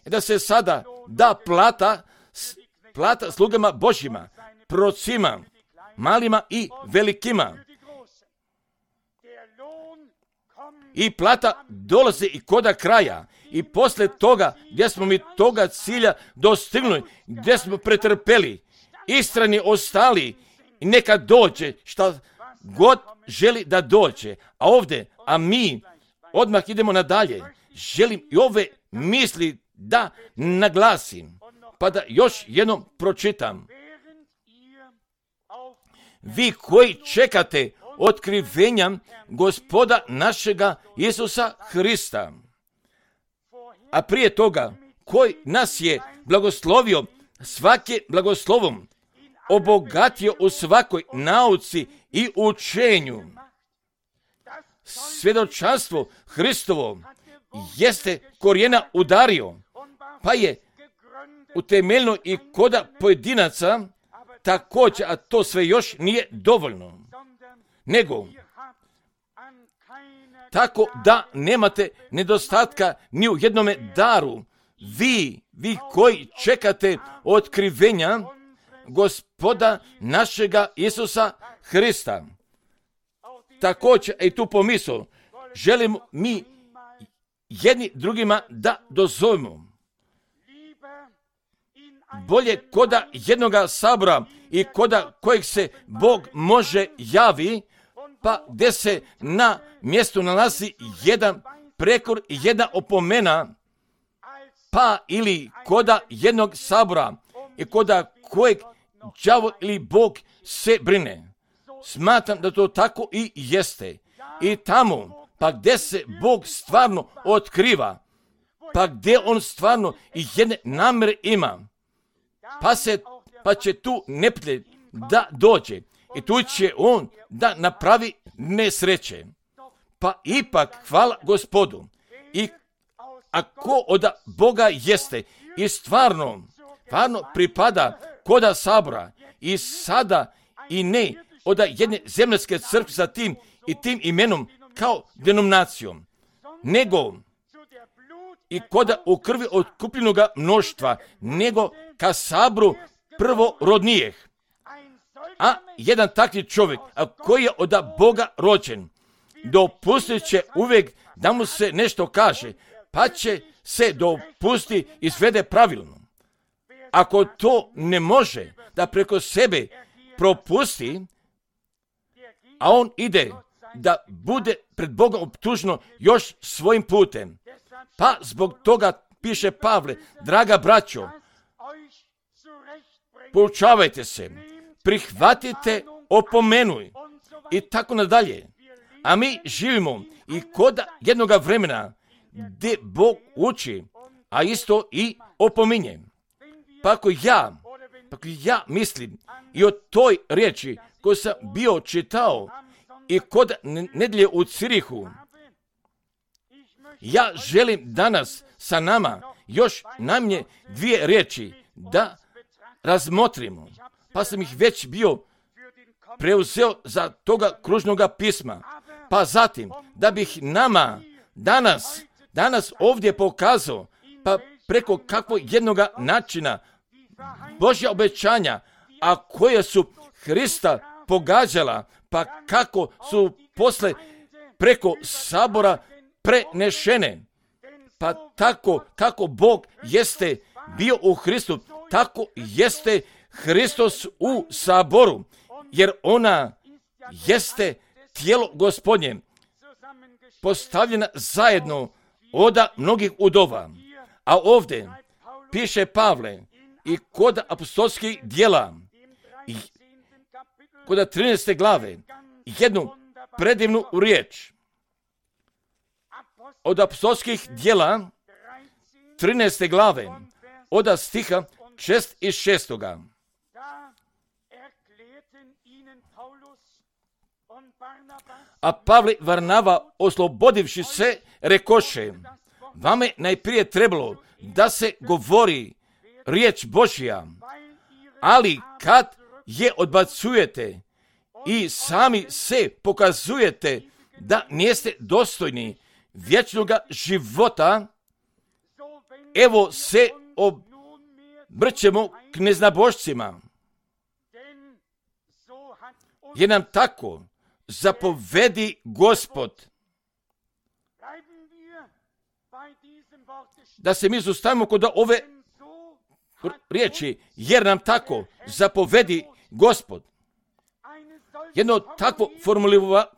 I da se sada da plata, plata slugama Božjima, prorocima, malima i velikima. I plata dolazi i koda kraja. I posle toga, gdje smo mi toga cilja dostignuli, gdje smo pretrpeli, istrani ostali, i neka dođe šta god želi da dođe. A ovdje, a mi odmah idemo nadalje. Želim i ove misli da naglasim, pa da još jednom pročitam. Vi koji čekate otkrivenja Gospoda našega Isusa Hrista, a prije toga koji nas je blagoslovio svake blagoslovom, obogatio u svakoj nauci i učenju. Svjedočanstvo Hristovo jeste korijena udario, pa je utemeljeno i koda pojedinaca također, a to sve još nije dovoljno. Nego, tako da nemate nedostatka ni u jednome daru, vi, vi koji čekate otkrivenja Gospoda našega Isusa Hrista. Također, i tu pomisao, želimo mi jedni drugima da dozovemo. Bolje koda jednoga sabora i koda kojeg se Bog može javi, pa gdje se na mjestu nalazi jedan prekor i jedna opomena, pa ili koda jednog sabora i koda kojeg đavo ili Bog se brine. Smatram da to tako i jeste. I tamo, pa gdje se Bog stvarno otkriva, pa gdje on stvarno i jedne namere ima, pa, se, pa će tu neprijatelj da dođe i tu će on da napravi nesreće. Pa ipak hvala Gospodu. I ako od Boga jeste i stvarno, stvarno pripada koda sabora i sada i ne od jedne zemljske crkve sa tim i tim imenom kao denominacijom, nego i koda u krvi otkupljenoga mnoštva, nego ka sabru prvorodnijeh. A jedan takvi čovjek, a koji je od Boga rođen, dopustit će uvijek da mu se nešto kaže, pa će se dopusti i svede pravilno. Ako to ne može da preko sebe propusti, a on ide da bude pred Bogom optužno još svojim putem. Pa zbog toga piše Pavle, draga braćo, poučavajte se, prihvatite, opomenuj i tako nadalje. A mi živimo i kod jednoga vremena gdje Bog uči, a isto i opominje. Pa ako ja, pa ako ja mislim i o toj riječi koju sam bio čitao i kod nedjelje u Cirihu, ja želim danas sa nama još najmanje dvije riječi da razmotrimo. Pa sam ih već bio preuzeo za toga kružnoga pisma. Pa zatim, da bih nama danas, danas ovdje pokazao, pa preko kakvog jednoga načina Božja obećanja, a koje su Hrista pogađala, pa kako su posle preko sabora prenešene. Pa tako kako Bog jeste bio u Hristu, tako jeste Hristos u saboru, jer ona jeste tijelo Gospodnje, postavljena zajedno od mnogih udova. A ovdje piše Pavle i kod apostolskih djela, i kod trinaeste glave, jednu predivnu riječ. Od apostolskih djela, trinaeste glave, od stiha šest i šestoga. A Pavle Varnava, oslobodivši se, rekoše, vama je najprije trebalo da se govori riječ Božja, ali kad je odbacujete i sami se pokazujete da niste dostojni vječnoga života, evo se obrćemo k neznabošcima. Jer nam tako zapovedi Gospod. Da se mi zustavimo kod ove riječi, jer nam tako zapovedi Gospod. Jedno takvo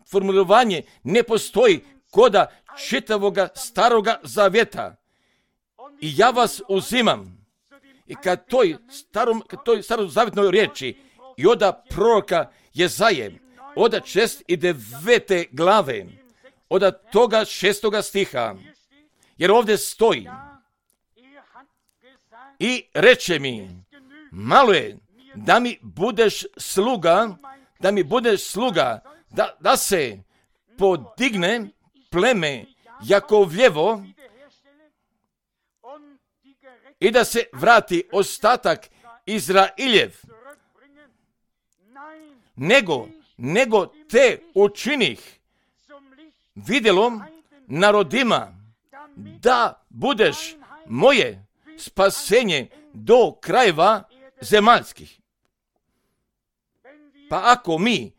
formulovanje ne postoji koda čitavoga staroga zavjeta. I ja vas uzimam i kad toj starom, kad toj starozavjetnoj riječi i oda proroka Jezaje, oda šest i devete glave, oda toga šestoga stiha, jer ovdje stoji i reče mi, malo je da mi budeš sluga, da mi budeš sluga, da, da se podigne pleme Jakovljevo i da se vrati ostatak Izrailjev, nego, nego te učinih vidjelom narodima, da budeš moje spasenje do krajeva zemaljskih. Pa ako mi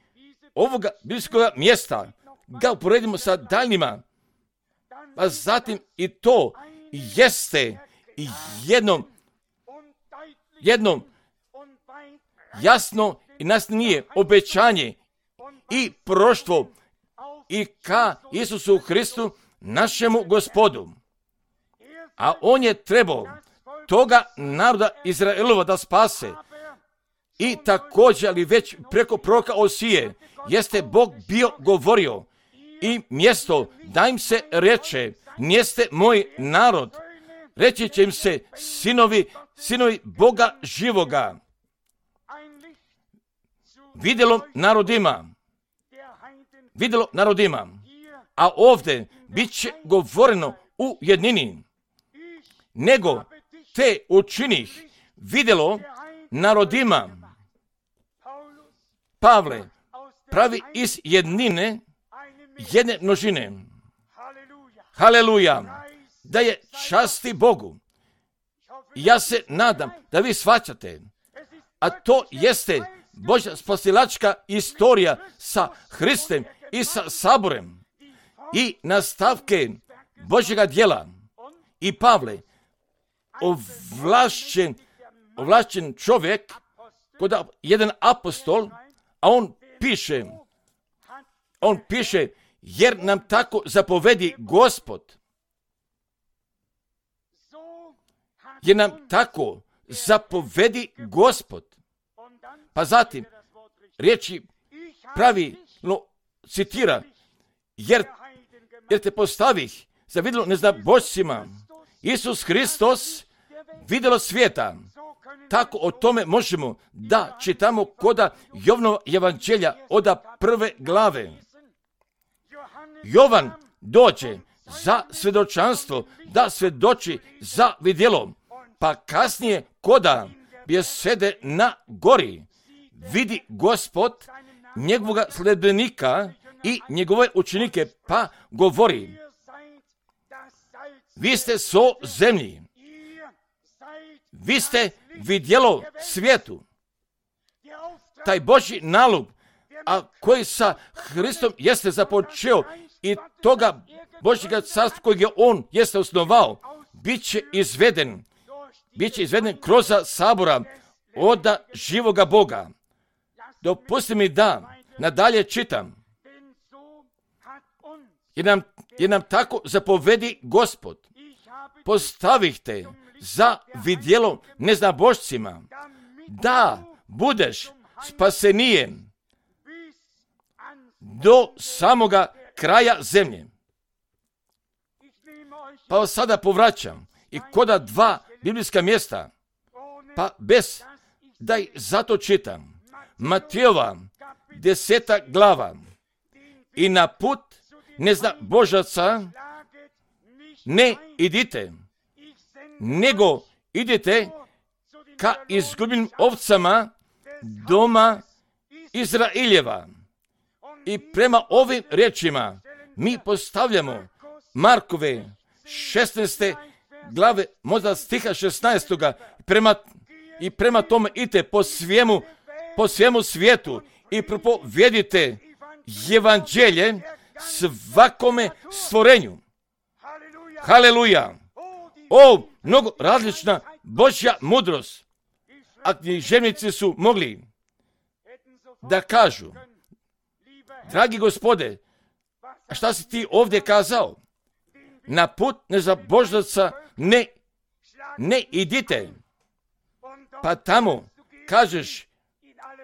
ovoga biblijskog mjesta ga uporedimo sa daljnjima, pa zatim i to jeste jednom, jednom jasno i nasnije obećanje i proroštvo i ka Isusu Hristu, našemu Gospodu. A on je trebao toga naroda Izraelova da spase. I također, ali već preko proroka Osije, jeste Bog bio govorio i mjesto da im se reče, niste moj narod, reći će im se sinovi, sinovi Boga živoga. Vidjelo narodima, vidjelo narodima, a ovdje bit će govoreno u jednini, nego te učinih vidjelo narodima. Pavle pravi iz jednine jedne množine. Haleluja! Da je časti Bogu. Ja se nadam da vi shvaćate, a to jeste Božja spasilačka istorija sa Hristem i sa saborem i nastavke Božjega djela. I Pavle, ovlašćen, ovlašćen čovjek, kod jedan apostol, a on piše, on piše, jer nam tako zapovedi Gospod. Jer nam tako zapovedi Gospod. Pa zatim, riječi pravilno citira, jer, jer te postavih za vidjelo neznabošcima. Isus Hristos vidjelo svijeta. Tako o tome možemo da čitamo koda Jovanova evanđelja oda prve glave. Jovan dođe za svjedočanstvo, da svjedoči za vidjelo, pa kasnije koda bjesede na gori vidi Gospod njegovoga sljedbenika i njegove učenike, pa govori, vi ste so zemlji, vi ste vidjelo svijetu. Taj Božji nalog, a koji sa Hristom jeste započeo i toga Božjega carstva kojeg je on jeste osnovao, bit će izveden, bit će izveden kroz sabora oda živoga Boga. Dopusti mi da nadalje čitam. Jer nam, jer nam tako zapovedi Gospod. Postavih te za vidjelo neznabošcima, da budeš spasenijem do samoga kraja zemlje. Pa sada povraćam i koda dva biblijska mjesta, pa bez da ih zato čitam. Matejova deseta glava i na put ne zna Božaca ne idite, nego idite ka izgubljenim ovcama doma Izraeljeva. I prema ovim riječima mi postavljamo Markove šesnaeste glave, možda stiha šesnaestoga prema, i prema tome idite po svemu, po svemu svijetu i propovijedite evanđelje svakome stvorenju. Haleluja! O, mnogo različna Božja mudrost. A književnici su mogli da kažu, dragi Gospode, a šta si ti ovdje kazao? Na put nezabožnaca ne, ne idite. Pa tamo kažeš,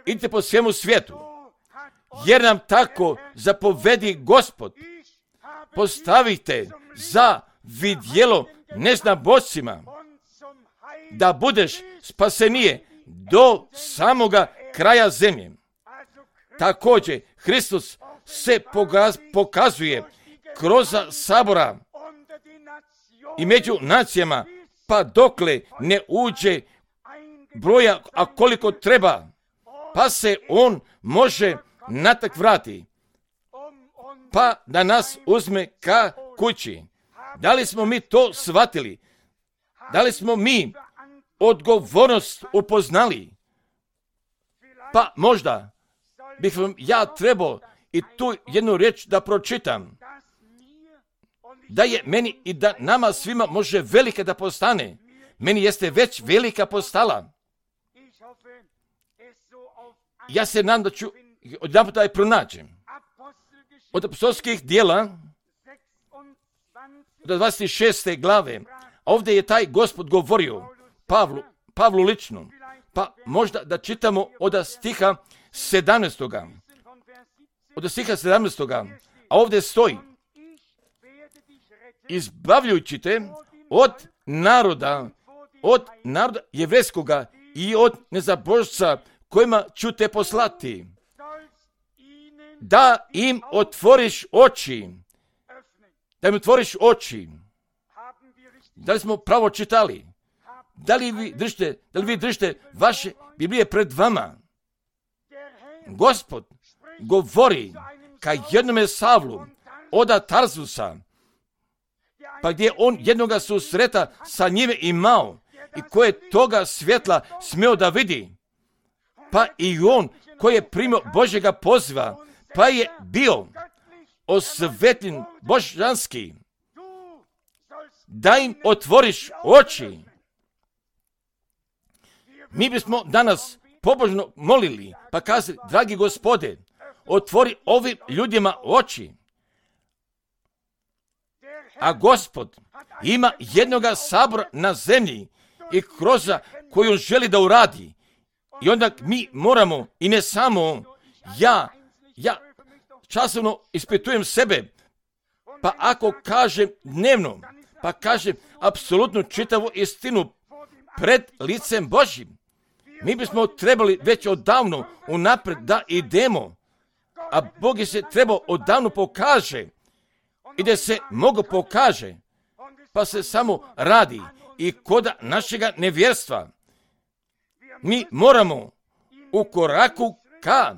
idite po svemu svijetu, jer nam tako zapovedi Gospod. Postavite za vidjelo neznabošcima, da budeš spasenije do samoga kraja zemlje. Također, Hristos se pokazuje kroz sabora i među nacijama, pa dokle ne uđe broja, a koliko treba, pa se on može natak vrati, pa da nas uzme ka kući. Da li smo mi to shvatili? Da li smo mi odgovornost upoznali? Pa možda bih vam ja trebao i tu jednu riječ da pročitam, da je meni i da nama svima može velika da postane. Meni jeste već velika postala. Ja se nadam da ću odjedanput da je pronađem. Od apostolskih dijela do dvadeset šeste glave, ovdje je taj Gospod govorio Pavlu, Pavlu lično, pa možda da čitamo od stiha sedamnaestoga. Od stiha sedamnaestoga, a ovdje stoji, izbavljujući te od naroda, od naroda jevrejskoga i od nezabožca kojima ću te poslati, da im otvoriš oči, da im otvoriš oči. Da li smo pravo čitali? Da li vi držite, da li vi držite vaše Biblije pred vama? Gospod govori ka jednome Savlu od Tarzusa, pa gdje on jednoga susreta sa njime imao i koje toga svjetla smio da vidi, pa i on koji je primio Božjega poziva, pa je bio osvetljen božanski, da im otvoriš oči. Mi bismo danas pobožno molili, pa kazali, dragi Gospode, otvori ovim ljudima oči. A Gospod ima jednoga sabora na zemlji i kroz koju želi da uradi. I onda mi moramo, i ne samo ja, ja časovno ispitujem sebe, pa ako kažem dnevno, pa kažem apsolutno čitavu istinu pred licem Božjim, mi bismo trebali već odavno unapred da idemo, a Bog je se trebao odavno pokaže i da se mogo pokaže, pa se samo radi i koda našega nevjerstva. Mi moramo u koraku ka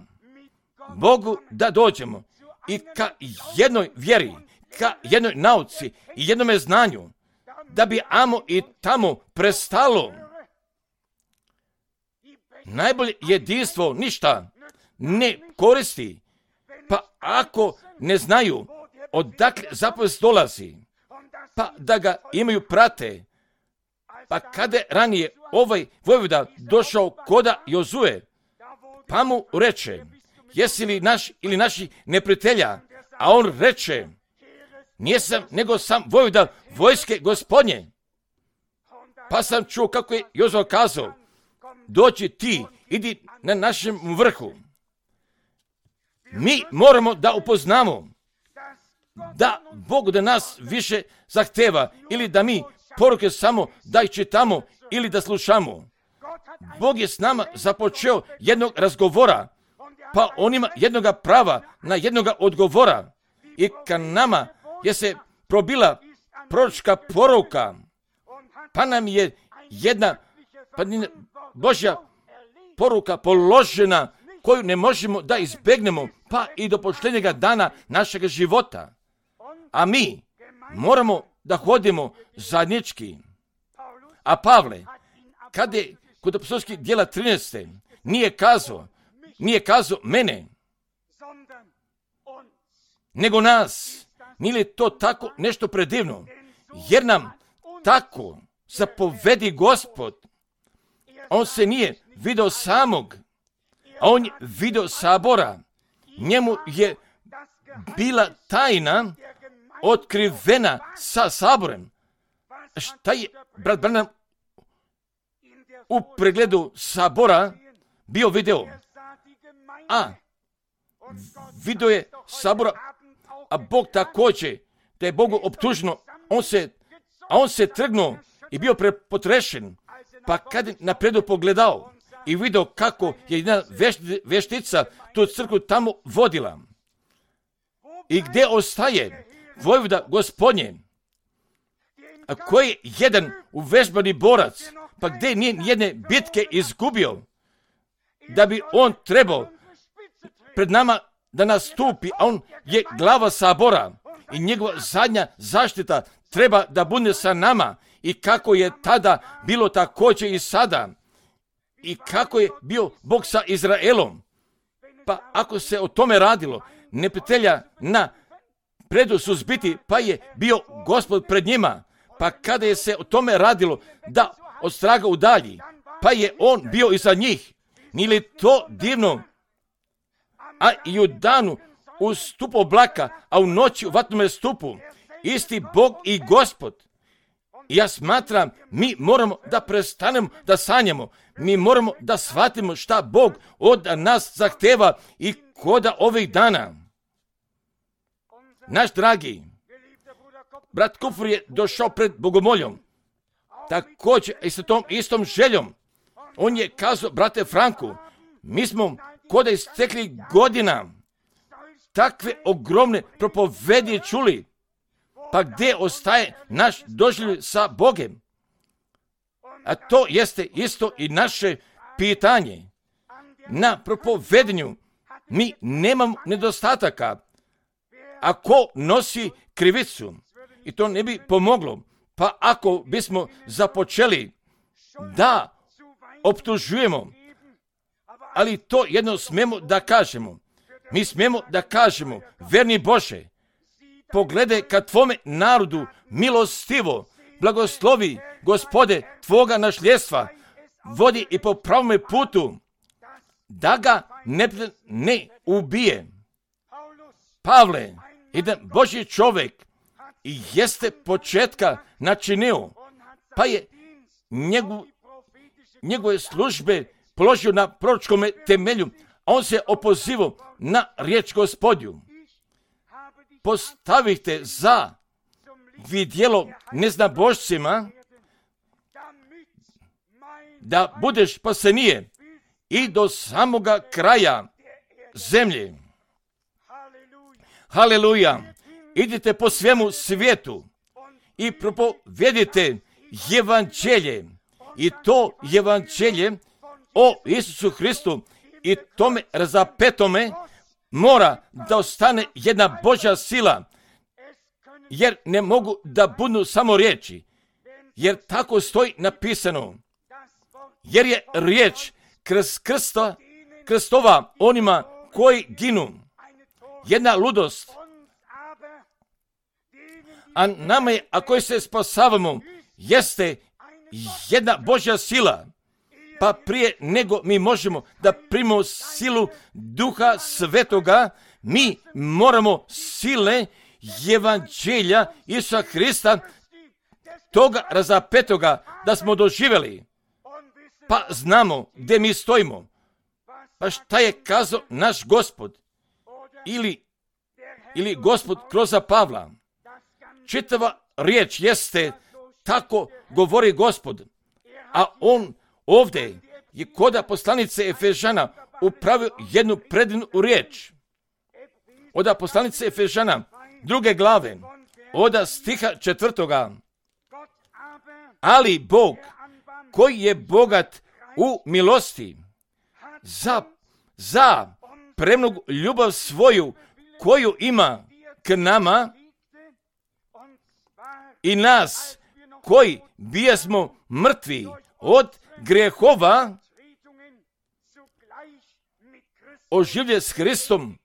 Bogu da dođemo i ka jednoj vjeri, ka jednoj nauci i jednome znanju, da bi amo i tamo prestalo. Najbolje jedinstvo ništa ne koristi, pa ako ne znaju odakle zapovest dolazi, pa da ga imaju prate. Pa kada je ranije ovaj vojvoda došao koda Jozue, pa mu reče, jesi li naš ili naši neprijatelja? A on reče, nijesam nego sam vojvoda vojske Gospodnje. Pa sam čuo kako je Jozue kazao, dođi ti, idi na našem vrhu. Mi moramo da upoznamo da Bog da nas više zahteva ili da mi poruke samo da ih čitamo ili da slušamo. Bog je s nama započeo jednog razgovora pa on ima jednoga prava na jednoga odgovora. I ka nama je se probila proročka poruka, pa nam je jedna pa Božja poruka položena koju ne možemo da izbegnemo, pa i do posljednjega dana našeg života. A mi moramo da hodimo zajednički. A Pavle, kada je kod apostolskih djela trinaeste nije kazao, nije kazao mene, nego nas. Nije li to tako nešto predivno? Jer nam tako zapovedi Gospod. On se nije video samog, a on je video sabora. Njemu je bila tajna otkrivena sa saborem. Šta je brat Branham u pregledu sabora bio video? A video je sabora, a Bog također, da je Bogu optuženo, on se, a on se trgnuo i bio prepotrešen. Pa kad je napredu pogledao i vidio kako je jedna veštica tu crkvu tamo vodila. I gdje ostaje vojvoda Gospodnje, a koji je jedan uvežbani borac, pa gdje nije jedne bitke izgubio, da bi on trebao pred nama da nastupi, a on je glava sabora i njegova zadnja zaštita treba da bude sa nama. I kako je tada bilo također i sada. I kako je bio Bog sa Izraelom. Pa ako se o tome radilo, neprijatelja na predu suzbiti, pa je bio Gospod pred njima. Pa kada je se o tome radilo da od straga udalji, pa je on bio iza njih. Nije li to divno? A i u danu u stupu oblaka, a u noći u vatnome stupu, isti Bog i Gospod. Ja smatram, mi moramo da prestanemo da sanjamo. Mi moramo da shvatimo šta Bog od nas zahteva i koda ovih dana. Naš dragi brat Kupfer je došao pred Bogomoljom. Također i sa tom istom željom. On je kazao, brate Franku, mi smo koda istekli godina takve ogromne propovedi čuli. Pa gdje ostaje naš doživljaj sa Bogem? A to jeste isto i naše pitanje. Na propovedanju mi nemamo nedostataka. A ko nosi krivicu? I to ne bi pomoglo. Pa ako bismo započeli da optužujemo, ali to jedno smemo da kažemo. Mi smemo da kažemo, verni Bože, pogledaj ka tvome narodu milostivo, blagoslovi, Gospode, tvoga našljedstva, vodi i po pravome putu, da ga ne, ne ubije. Pavle, jedan Božji čovjek, i jeste početka načinio, pa je njegu, njegove službe položio na proročkome temelju, a on se opozivao na riječ Gospodju. Postavite za vidjelo neznabošcima da budeš spasenije i do samoga kraja zemlje. Haleluja! Idite po svemu svijetu i propovedite evanđelje. I to evanđelje o Isusu Hristu i tome razapetome mora da ostane jedna Božja sila, jer ne mogu da budu samo riječi, jer tako stoji napisano, jer je riječ kroz krsta, krstova onima koji ginu. Jedna ludost, a nama je, a koji se spasavamo, jeste jedna Božja sila. Pa prije nego mi možemo da primimo silu Duha Svetoga, mi moramo sile evanđelja Isusa Hrista, toga razapetoga da smo doživjeli. Pa znamo gdje mi stojimo. Pa šta je kazao naš Gospod? Ili, ili Gospod kroz Pavla. Čitava riječ jeste, tako govori Gospod. A on ovdje je koda poslanice Efežana upravio jednu predivnu riječ. Od poslanice Efežana, druge glave, od stiha četvrtoga. Ali Bog, koji je bogat u milosti, za, za premnogu ljubav svoju, koju ima k nama i nas, koji bijesmo mrtvi od grehova, oživlje s Hristom,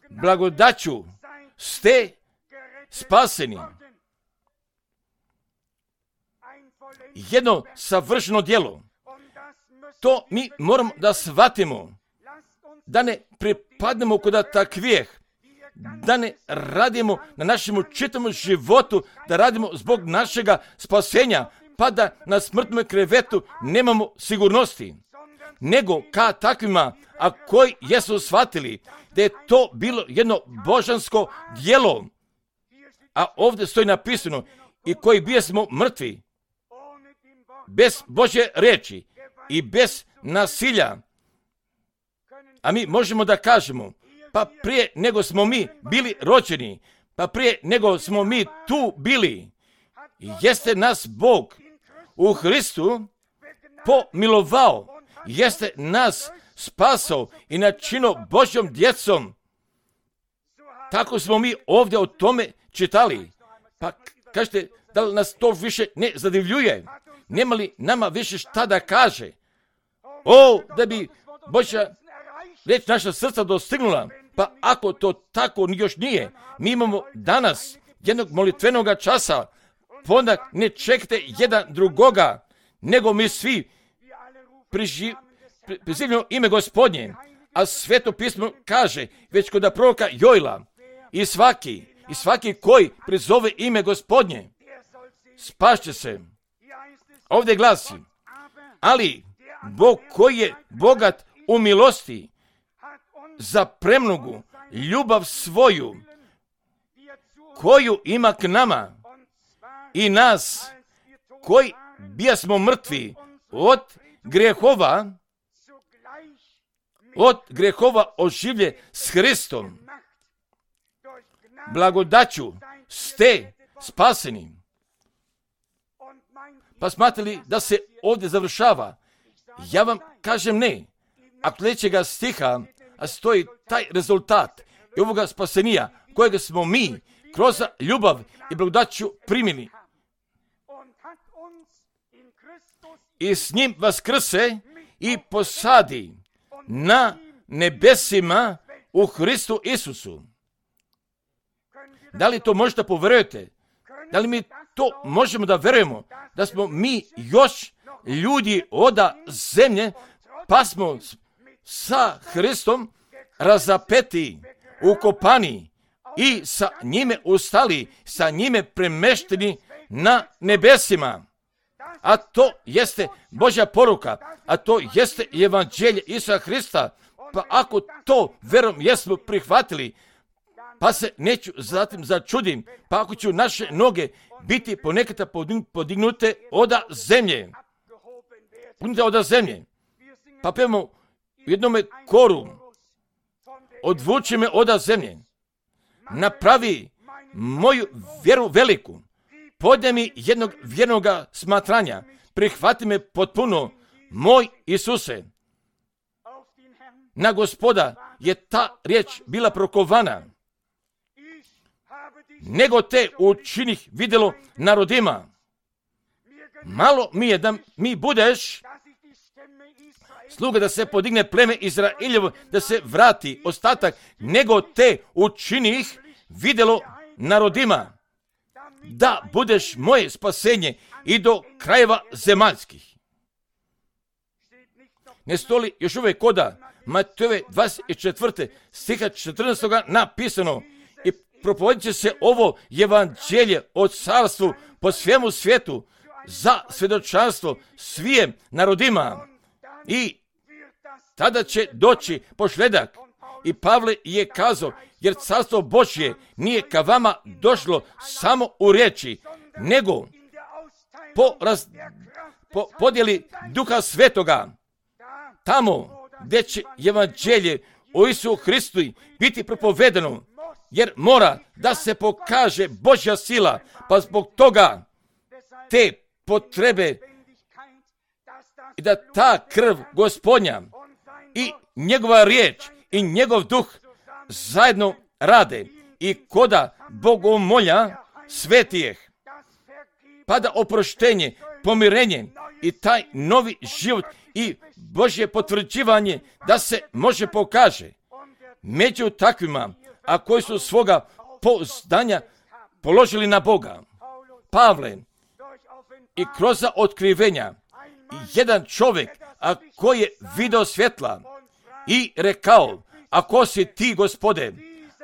blagodaću ste spaseni. Jedno savršeno djelo. To mi moramo da shvatimo, da ne pripadnemo kod takvijeh, da ne radimo na našem čitavom životu, da radimo zbog našega spasenja, pa da na smrtnom krevetu nemamo sigurnosti, nego ka takvima, a koji jesu shvatili da je to bilo jedno božansko djelo, a ovdje stoji napisano, i koji bijesmo mrtvi, bez Božje riječi i bez nasilja. A mi možemo da kažemo, pa prije nego smo mi bili rođeni, pa prije nego smo mi tu bili, jeste nas Bog u Hristu pomilovao, jeste nas spasao i načinio Božjom djecom. Tako smo mi ovdje o tome čitali. Pa kažete, da li nas to više ne zadivljuje? Nema li nama više šta da kaže? O, da bi Božja riječ naša srca dostignula. Pa ako to tako još nije, mi imamo danas jednog molitvenog časa, pa onda ne čekajte jedan drugoga, nego mi svi prizivljamo ime Gospodnje, a Sveto pismo kaže, već kod proroka Joila, i svaki, i svaki koji prizove ime Gospodnje, spašće se. Ovdje glasi, ali Bog koji je bogat u milosti, za premnogu ljubav svoju, koju ima k nama i nas, koji bijasmo mrtvi od grehova, od grehova oživlje s Hristom, blagodaću ste spaseni. Pa smatrali da se ovdje završava? Ja vam kažem ne. A sljedećega stiha a stoji taj rezultat i ovoga spasenija kojega smo mi kroz ljubav i blagodaću primili. I s njim vaskrse i posadi na nebesima u Hristu Isusu. Da li to možete povjerujete? Da li mi to možemo da verujemo? Da smo mi još ljudi oda zemlje, pa smo sa Hristom razapeti, ukopani i sa njime ustali, sa njime premešteni na nebesima. A to jeste Božja poruka, a to jeste evanđelje Isusa Hrista. Pa ako to verom jesmo prihvatili, pa se neću zatim začudim, pa ako ću naše noge biti ponekada podignute oda zemlje, podignute oda zemlje, pa pevamo u jednome koru, odvuči me oda zemlje, napravi moju vjeru veliku, podne mi jednog vjernog smatranja, prihvati me potpuno, moj Isuse. Na Gospoda je ta riječ bila prokovana, nego te učinih vidjelo narodima. Malo mi je da mi budeš sluga, da se podigne pleme Izraeljevo, da se vrati ostatak, nego te učinih vidjelo narodima, da budeš moje spasenje i do krajeva zemaljskih. Ne stoli još uvijek koda Matejove dvadeset četvrte stiha četrnaestog napisano, i propovedit će se ovo evanđelje o carstvu po svemu svijetu za svjedočanstvo svijem narodima, i tada će doći pošledak. I Pavle je kazao, jer carstvo Božje nije ka vama došlo samo u riječi, nego po, raz, po podjeli Duha Svetoga. tamo gdje će evanđelje o Isusu Hristu biti propovedano, jer mora da se pokaže Božja sila, pa zbog toga te potrebe i da ta krv Gospodnja i njegova riječ i njegov duh zajedno rade i koda bogomolja svetijeh, pa da oproštenje, pomirenje i taj novi život i Božje potvrđivanje da se može pokaže među takvima, a koji su svoga pouzdanja položili na Boga. Pavle, i kroz otkrivenja, jedan čovjek, a koji je video svjetla i rekao, ako si ti, Gospode,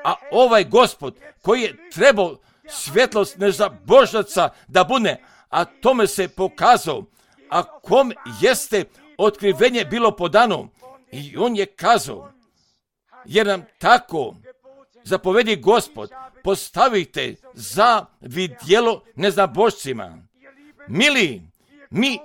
a ovaj Gospod koji je trebao svjetlost nezabožnaca da bude, a tome se pokazao, a kom jeste otkrivenje bilo podano, i on je kazao, jer nam tako zapovedi Gospod, postavite za vidjelo neznabošcima. Mili, mi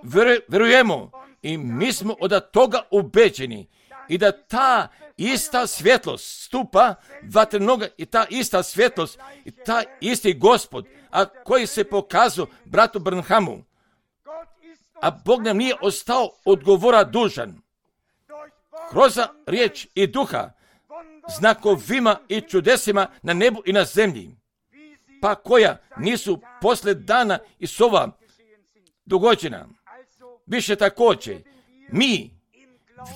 vjerujemo i mi smo od toga ubeđeni i da ta ista svjetlost stupa vatrenoga i ta ista svjetlost i ta isti Gospod, a koji se pokazao bratu Branhamu, a Bog nam nije ostao odgovora dužan. Kroz riječ i duha, znakovima i čudesima na nebu i na zemlji, pa koja nisu posle dana i sova dogođena. Više također, mi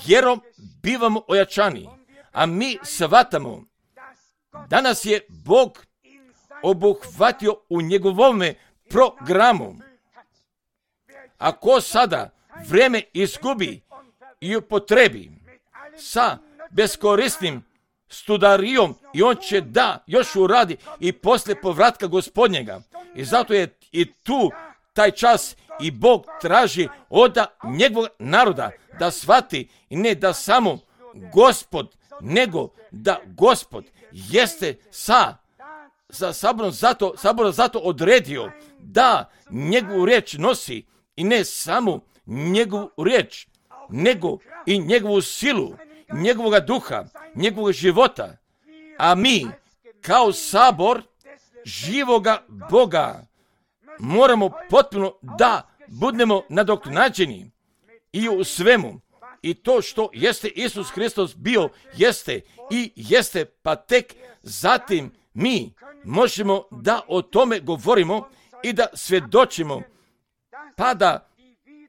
vjerom bivamo ojačani, a mi shvatamo da nas je Bog obuhvatio u njegovome programu. Ako sada vrijeme izgubi i upotrebi sa beskorisnim studarijom, i on će da još uradi i poslije povratka Gospodnjega. I zato je i tu taj čas i Bog traži od njegovog naroda da shvati i ne da samo Gospod, nego da Gospod jeste sa, sa saborom zato, saborom zato odredio da njegovu riječ nosi i ne samo njegovu riječ, nego i njegovu silu, njegovog duha, njegovog života. A mi, kao sabor živoga Boga, moramo potpuno da budemo nadoknađeni i u svemu. I to što jeste Isus Hristos bio, jeste i jeste, pa tek zatim mi možemo da o tome govorimo i da svjedočimo, pa da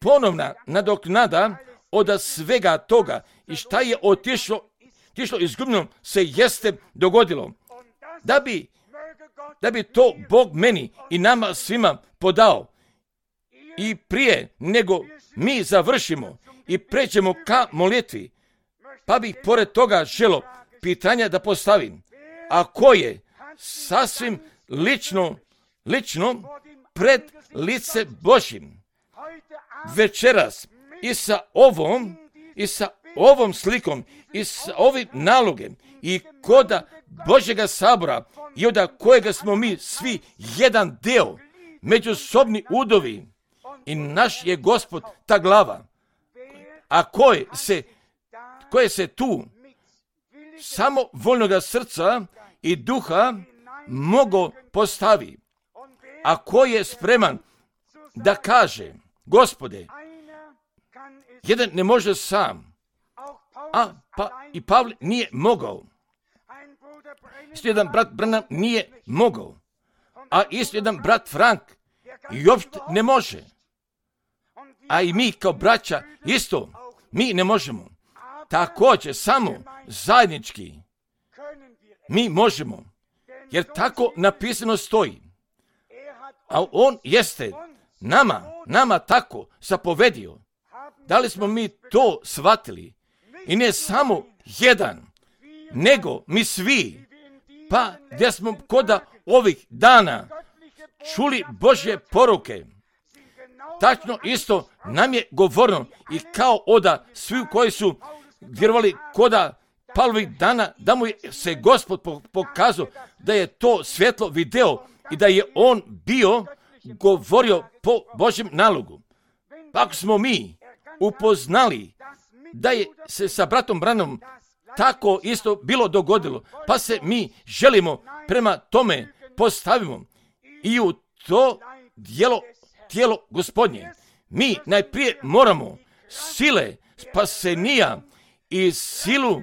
ponovna nadoknada od svega toga i šta je otišlo, otišlo izgubljeno se jeste dogodilo. Da bi, da bi to Bog meni i nama svima podao. I prije nego mi završimo i pređemo ka molitvi, pa bih pored toga želo pitanja da postavim, a koje sasvim lično, lično pred lice Božjim. Večeras i sa ovom, i sa ovom slikom, i sa ovim nalogem, i koda Božjega sabora, i od kojega smo mi svi jedan deo, međusobni udovi, i naš je Gospod ta glava. A koje se, koje se tu samo voljnoga srca i duha mogo postavi, a ko je spreman da kaže, Gospode, jedan ne može sam, a pa i Pavle nije mogao. Isto jedan brat Branham nije mogao, a isto jedan brat Frank i uopšte ne može. A i mi kao braća isto, mi ne možemo. Također samo zajednički mi možemo, jer tako napisano stoji. A on jeste nama, nama tako zapovedio. Da li smo mi to shvatili? I ne samo jedan, nego mi svi, pa gdje smo koda ovih dana čuli Božje poruke, tačno isto nam je govoreno i kao oda svi koji su vjerovali koda Pavlovih dana, da mu je se Gospod pokazao da je to svjetlo video i da je on bio govorio po Božjem nalogu. Pa ako smo mi upoznali da je se sa bratom Branhamom tako isto bilo dogodilo, pa se mi želimo prema tome postavimo i u to dijelo, tijelo Gospodnje. Mi najprije moramo sile spasenija i silu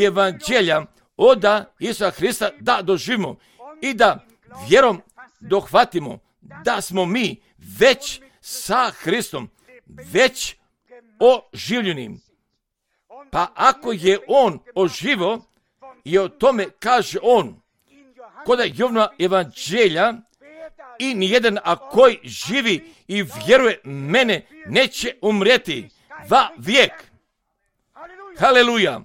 evanđelja oda Isusa Hrista da doživimo i da vjerom dohvatimo da smo mi već sa Hristom, već oživljeni. Pa ako je on oživo i o tome kaže on kod Jovana evanđelja, i nijedan a koji živi i vjeruje mene neće umrijeti va vijek. Haleluja.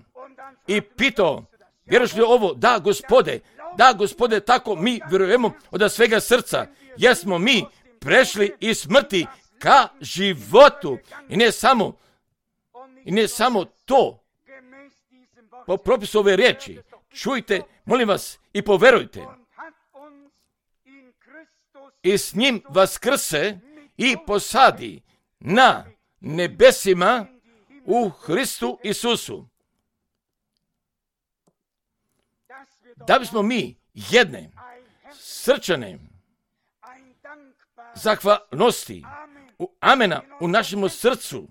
I pitao, vjeruješ li ovo? Da, Gospode, da, Gospode, tako mi vjerujemo od svega srca, jer smo mi prešli iz smrti ka životu. I ne samo, i ne samo to, po propisu ove riječi, čujte, molim vas, i poverujte. I s njim vaskrse i posadi na nebesima u Hristu Isusu. Da bismo mi jedne srčane zahvalnosti, u amena u našem srcu,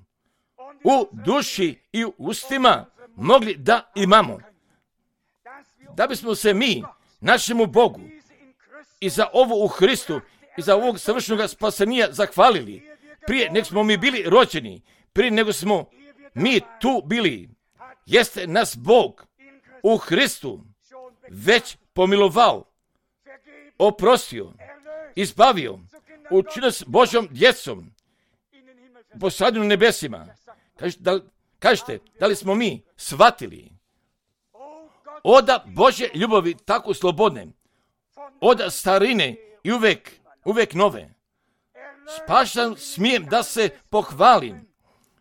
u duši i u ustima mogli da imamo. Da bismo se mi našemu Bogu i za ovo u Hristu i za ovog savršenog spasenija zahvalili, prije nego smo mi bili rođeni, prije nego smo mi tu bili, jeste nas Bog u Hristu već pomilovao, oprostio, izbavio, učinio s Božjom djecom, posadio na nebesima. Kažete, da, kažete, da li smo mi shvatili oda Božje ljubavi tako slobodne, oda starine i uvek, uvek nove. Spašen smijem da se pohvalim,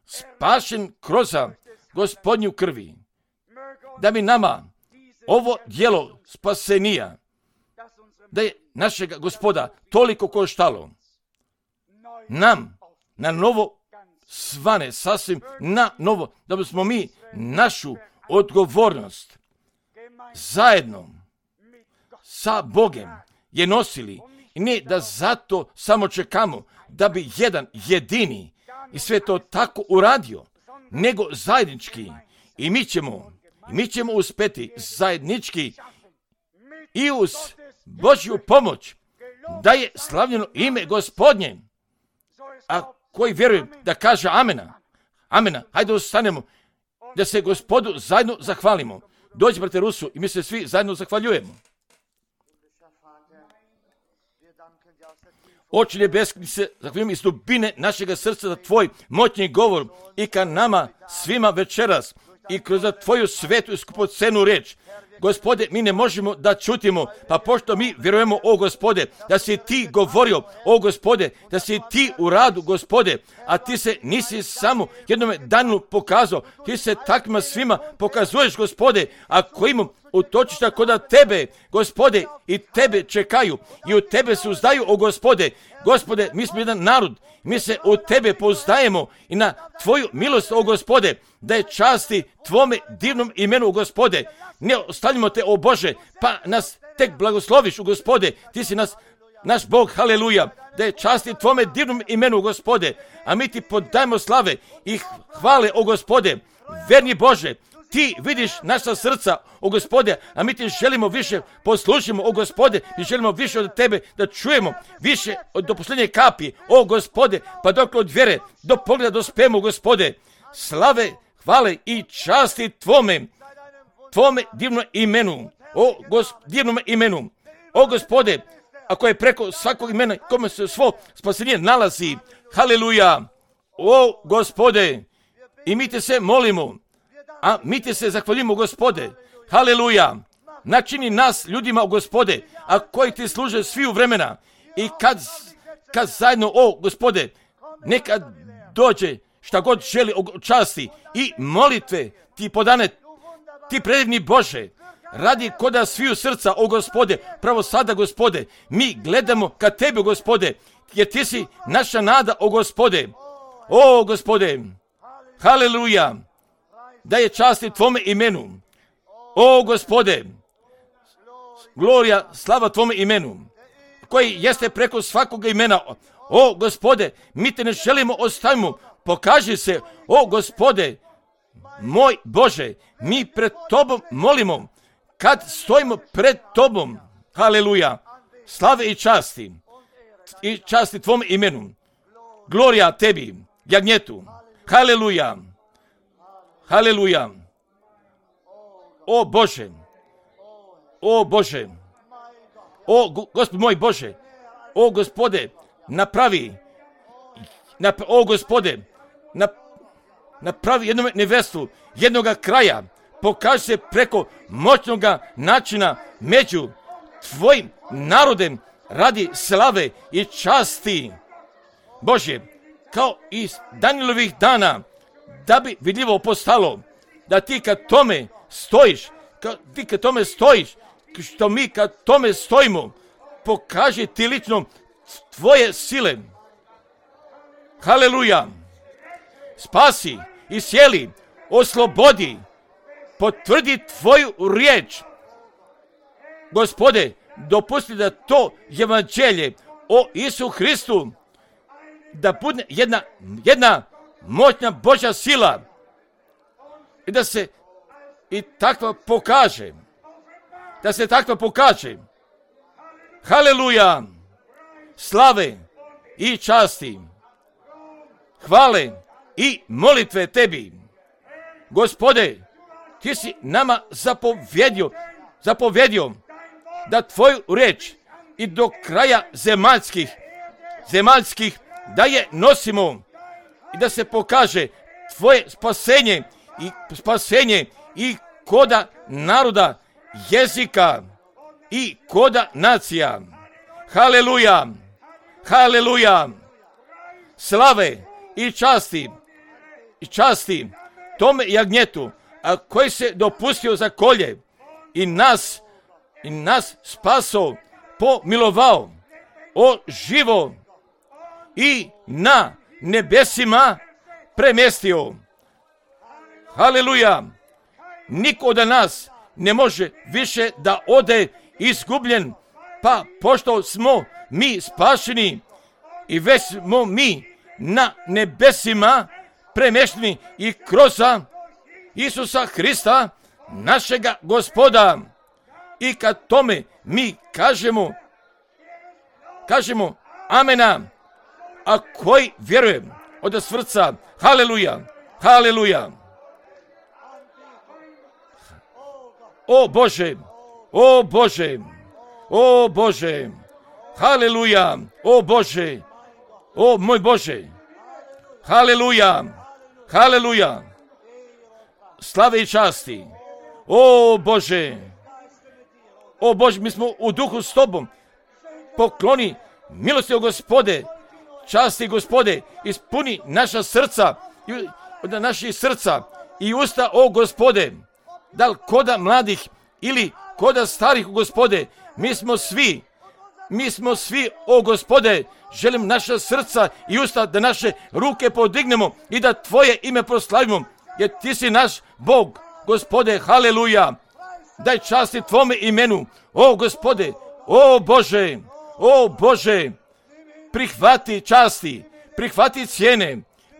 spašen kroz Gospodnju krvi, da bi nama ovo djelo spasenija, da je našega Gospoda toliko koštalo, nam na novo svane, sasvim na novo, da bismo mi našu odgovornost zajedno sa Bogem je nosili, i ne da zato samo čekamo da bi jedan jedini i sve to tako uradio, nego zajednički. I mi ćemo, i mi ćemo uspeti zajednički i uz Božju pomoć da je slavljeno ime Gospodnje. A koji vjerujem da kaže amena, amena, hajde ostanemo da se Gospodu zajedno zahvalimo. Dođi, brate Rusu, i mi se svi zajedno zahvaljujemo. Oče nebeski, se zahvaljujem iz dubine našega srca za tvoj moćni govor i ka nama svima večeras i kroz tvoju svetu i skupocenu riječ. Gospode, mi ne možemo da čutimo, pa pošto mi vjerujemo, o Gospode, da si ti govorio, o Gospode, da si ti u radu, Gospode, a ti se nisi samo jednome danu pokazao, ti se takvima svima pokazuješ, Gospode, a koji imam utočišta kod tebe, Gospode, i tebe čekaju i u tebe se uzdaju, o Gospode. Gospode, mi smo jedan narod, mi se u tebe pouzdajemo i na tvoju milost, o Gospode, da je časti tvome divnom imenu, o Gospode. Ne ostavljamo te, o Bože, pa nas tek blagosloviš, o Gospode, ti si nas, naš Bog, haleluja, da je časti tvome divnom imenu, Gospode, a mi ti podajemo slave i hvale, o Gospode, verni Bože. Ti vidiš naša srca, o Gospode, a mi ti želimo više poslušimo, o Gospode, mi želimo više od tebe da čujemo, više od do posljednje kapi, o Gospode, pa dok od vjere, do pogleda dospijemo, Gospode, slave, hvale i časti tvome, tvome divnom imenu, o gos, divnom imenu, o Gospode, ako je preko svakog imena, kome se svo spasenje nalazi, haleluja, o Gospode, i mi te se molimo, a mi te se zahvaljujemo, Gospode, haleluja, načini nas ljudima, o Gospode, a koji ti služe svi u vremena, i kad, kad zajedno, o Gospode, nekad dođe šta god želi o časti i molitve ti podane, ti predivni Bože, radi koda sviju srca, o Gospode, pravo sada, Gospode, mi gledamo ka tebi, Gospode, jer ti si naša nada, o Gospode, o Gospode, haleluja, da je časti tvome imenu. O Gospode, glorija, slava tvome imenu, koji jeste preko svakog imena. O Gospode, mi te ne želimo ostavimo, pokaži se. O Gospode, moj Bože, mi pred tobom molimo, kad stojimo pred tobom, haleluja, slave i časti, i časti tvom imenu, glorija tebi, jagnjetu, haleluja, haleluja. O Bože, o Bože, o Gospod moj Bože, o Gospode, napravi, nap, o Gospode, nap, napravi jednu nevestu, jednoga kraja, pokaži se preko moćnoga načina među tvojim narodem radi slave i časti. Bože, kao iz Danijelovih dana, da bi vidljivo postalo, da ti kad tome stojiš, kad ti kad tome stojiš, što mi kad tome stojimo, pokaži ti lično tvoje sile. Haleluja. Spasi, isjeli, oslobodi, potvrdi tvoju riječ. Gospode, dopusti da to evanđelje o Isu Hristu da bude jedna, jedna moćna Božja sila i da se i takva pokaže. Da se takva pokaže. Haleluja. Slave i časti, hvale i molitve tebi. Gospode, ti si nama zapovjedio, zapovjedio da tvoju riječ i do kraja zemaljskih, zemaljskih da je nosimo i da se pokaže tvoje spasenje i spasenje i koda naroda, jezika i koda nacija. Haleluja, haleluja, slave i časti, i časti tome jagnjetu, a koji se dopustio za kolje i nas, i nas spaso, pomilovao, o živo i na nebesima premjestio. Haleluja, niko od nas ne može više da ode izgubljen, pa pošto smo mi spašeni i već smo mi na nebesima premješteni i kroz Isusa Hrista, našega Gospoda. I kad tome mi kažemo, kažemo amena, a koji vjerujem od srca, haleluja, haleluja. O Bože, o Bože, o Bože, haleluja, o Bože, o moj Bože, haleluja, haleluja, slave i časti, o Bože, o Bože, mi smo u duhu s tobom, pokloni milosti o Gospode, časti Gospode, ispuni naša srca, od naših srca i usta o Gospode, da li koda mladih ili koda starih, Gospode, mi smo svi, mi smo svi, o Gospode, želim naša srca i usta da naše ruke podignemo i da tvoje ime proslavimo, jer ti si naš Bog, Gospode, haleluja. Daj časti tvome imenu, o Gospode, o Bože, o Bože, prihvati časti, prihvati cijene,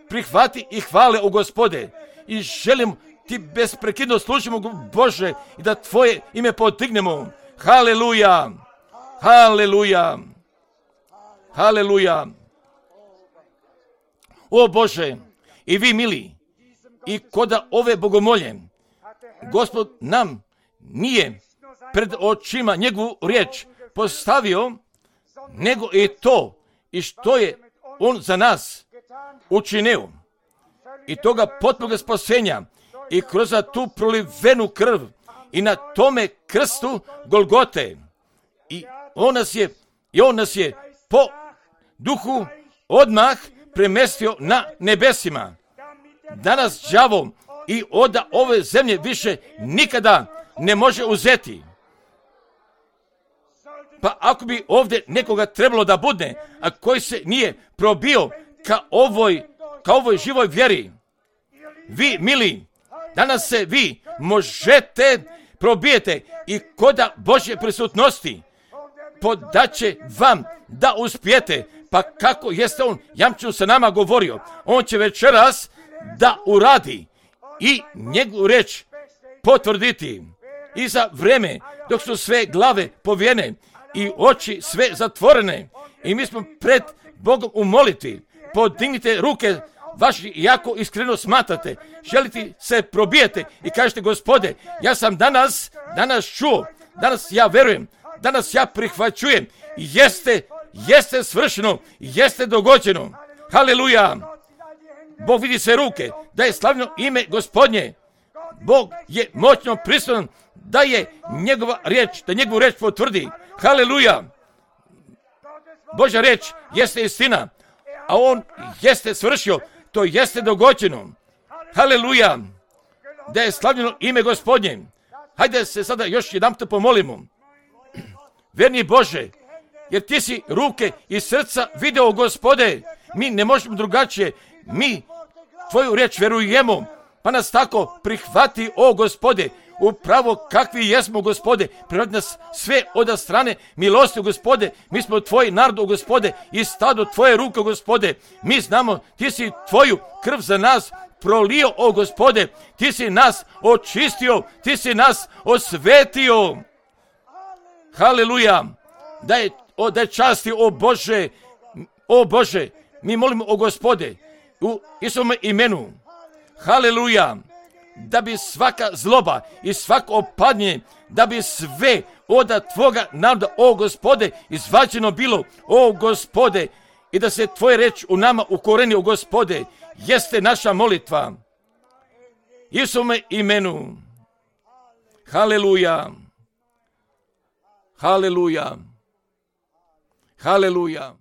prihvati i hvale, o Gospode, i želim ti besprekidno služimo, Bože, i da tvoje ime podignemo. Haleluja, haleluja, haleluja. O Bože, i vi mili, i koda ove bogomolje, Gospod nam nije pred očima njegovu riječ postavio, nego i to i što je on za nas učinio. I toga potpunog spasenja i kroz tu prolivenu krv i na tome krstu Golgote. I on nas je, i on nas je po duhu odmah premestio na nebesima. Danas đavo i od ove zemlje više nikada ne može uzeti. Pa ako bi ovdje nekoga trebalo da budne, a koji se nije probio ka ovoj, ka ovoj živoj vjeri, vi, mili, Danas se vi možete probijete i koda Božje prisutnosti podaće vam da uspijete. Pa kako jeste on jamčeno sa nama govorio, on će večeras da uradi i njegovu reč potvrditi. I za vreme dok su sve glave povijene i oči sve zatvorene i mi smo pred Bogom u molitvi, podignite ruke vaši jako iskreno smatrate, želite se probijete i kažete: Gospode, ja sam danas, danas čuo, danas ja verujem, danas ja prihvaćujem, jeste, jeste svršeno, jeste dogođeno. Haleluja! Bog vidi sve ruke, da je slavno ime Gospodnje. Bog je moćno prisutan da je njegova riječ, da njegovu riječ potvrdi. Haleluja! Božja riječ jeste istina, a on jeste svršio, to jeste dogođeno. Haleluja! Da je slavljeno ime Gospodnje. Hajde se sada još jedanput pomolimo. Verni Bože, jer ti si ruke i srca video, Gospode. Mi ne možemo drugačije. Mi tvoju riječ verujemo, pa nas tako prihvati, o Gospode, upravo kakvi jesmo, Gospode. Prihvati nas sve od strane milosti, Gospode. Mi smo tvoji narod, Gospode, i stado tvoje ruke, Gospode. Mi znamo, ti si tvoju krv za nas prolio, o Gospode. Ti si nas očistio, ti si nas osvetio. Haleluja! Da je, o, da je časti, o Bože, o Bože, mi molimo, o Gospode, u Isusovome imenu. Haleluja! Da bi svaka zloba i svako opadnje, da bi sve od tvoga naroda, o Gospode, izvađeno bilo, o Gospode, i da se tvoje reč u nama ukoreni, o Gospode, jeste naša molitva. Isusovome imenu. Haleluja! Haleluja! Haleluja!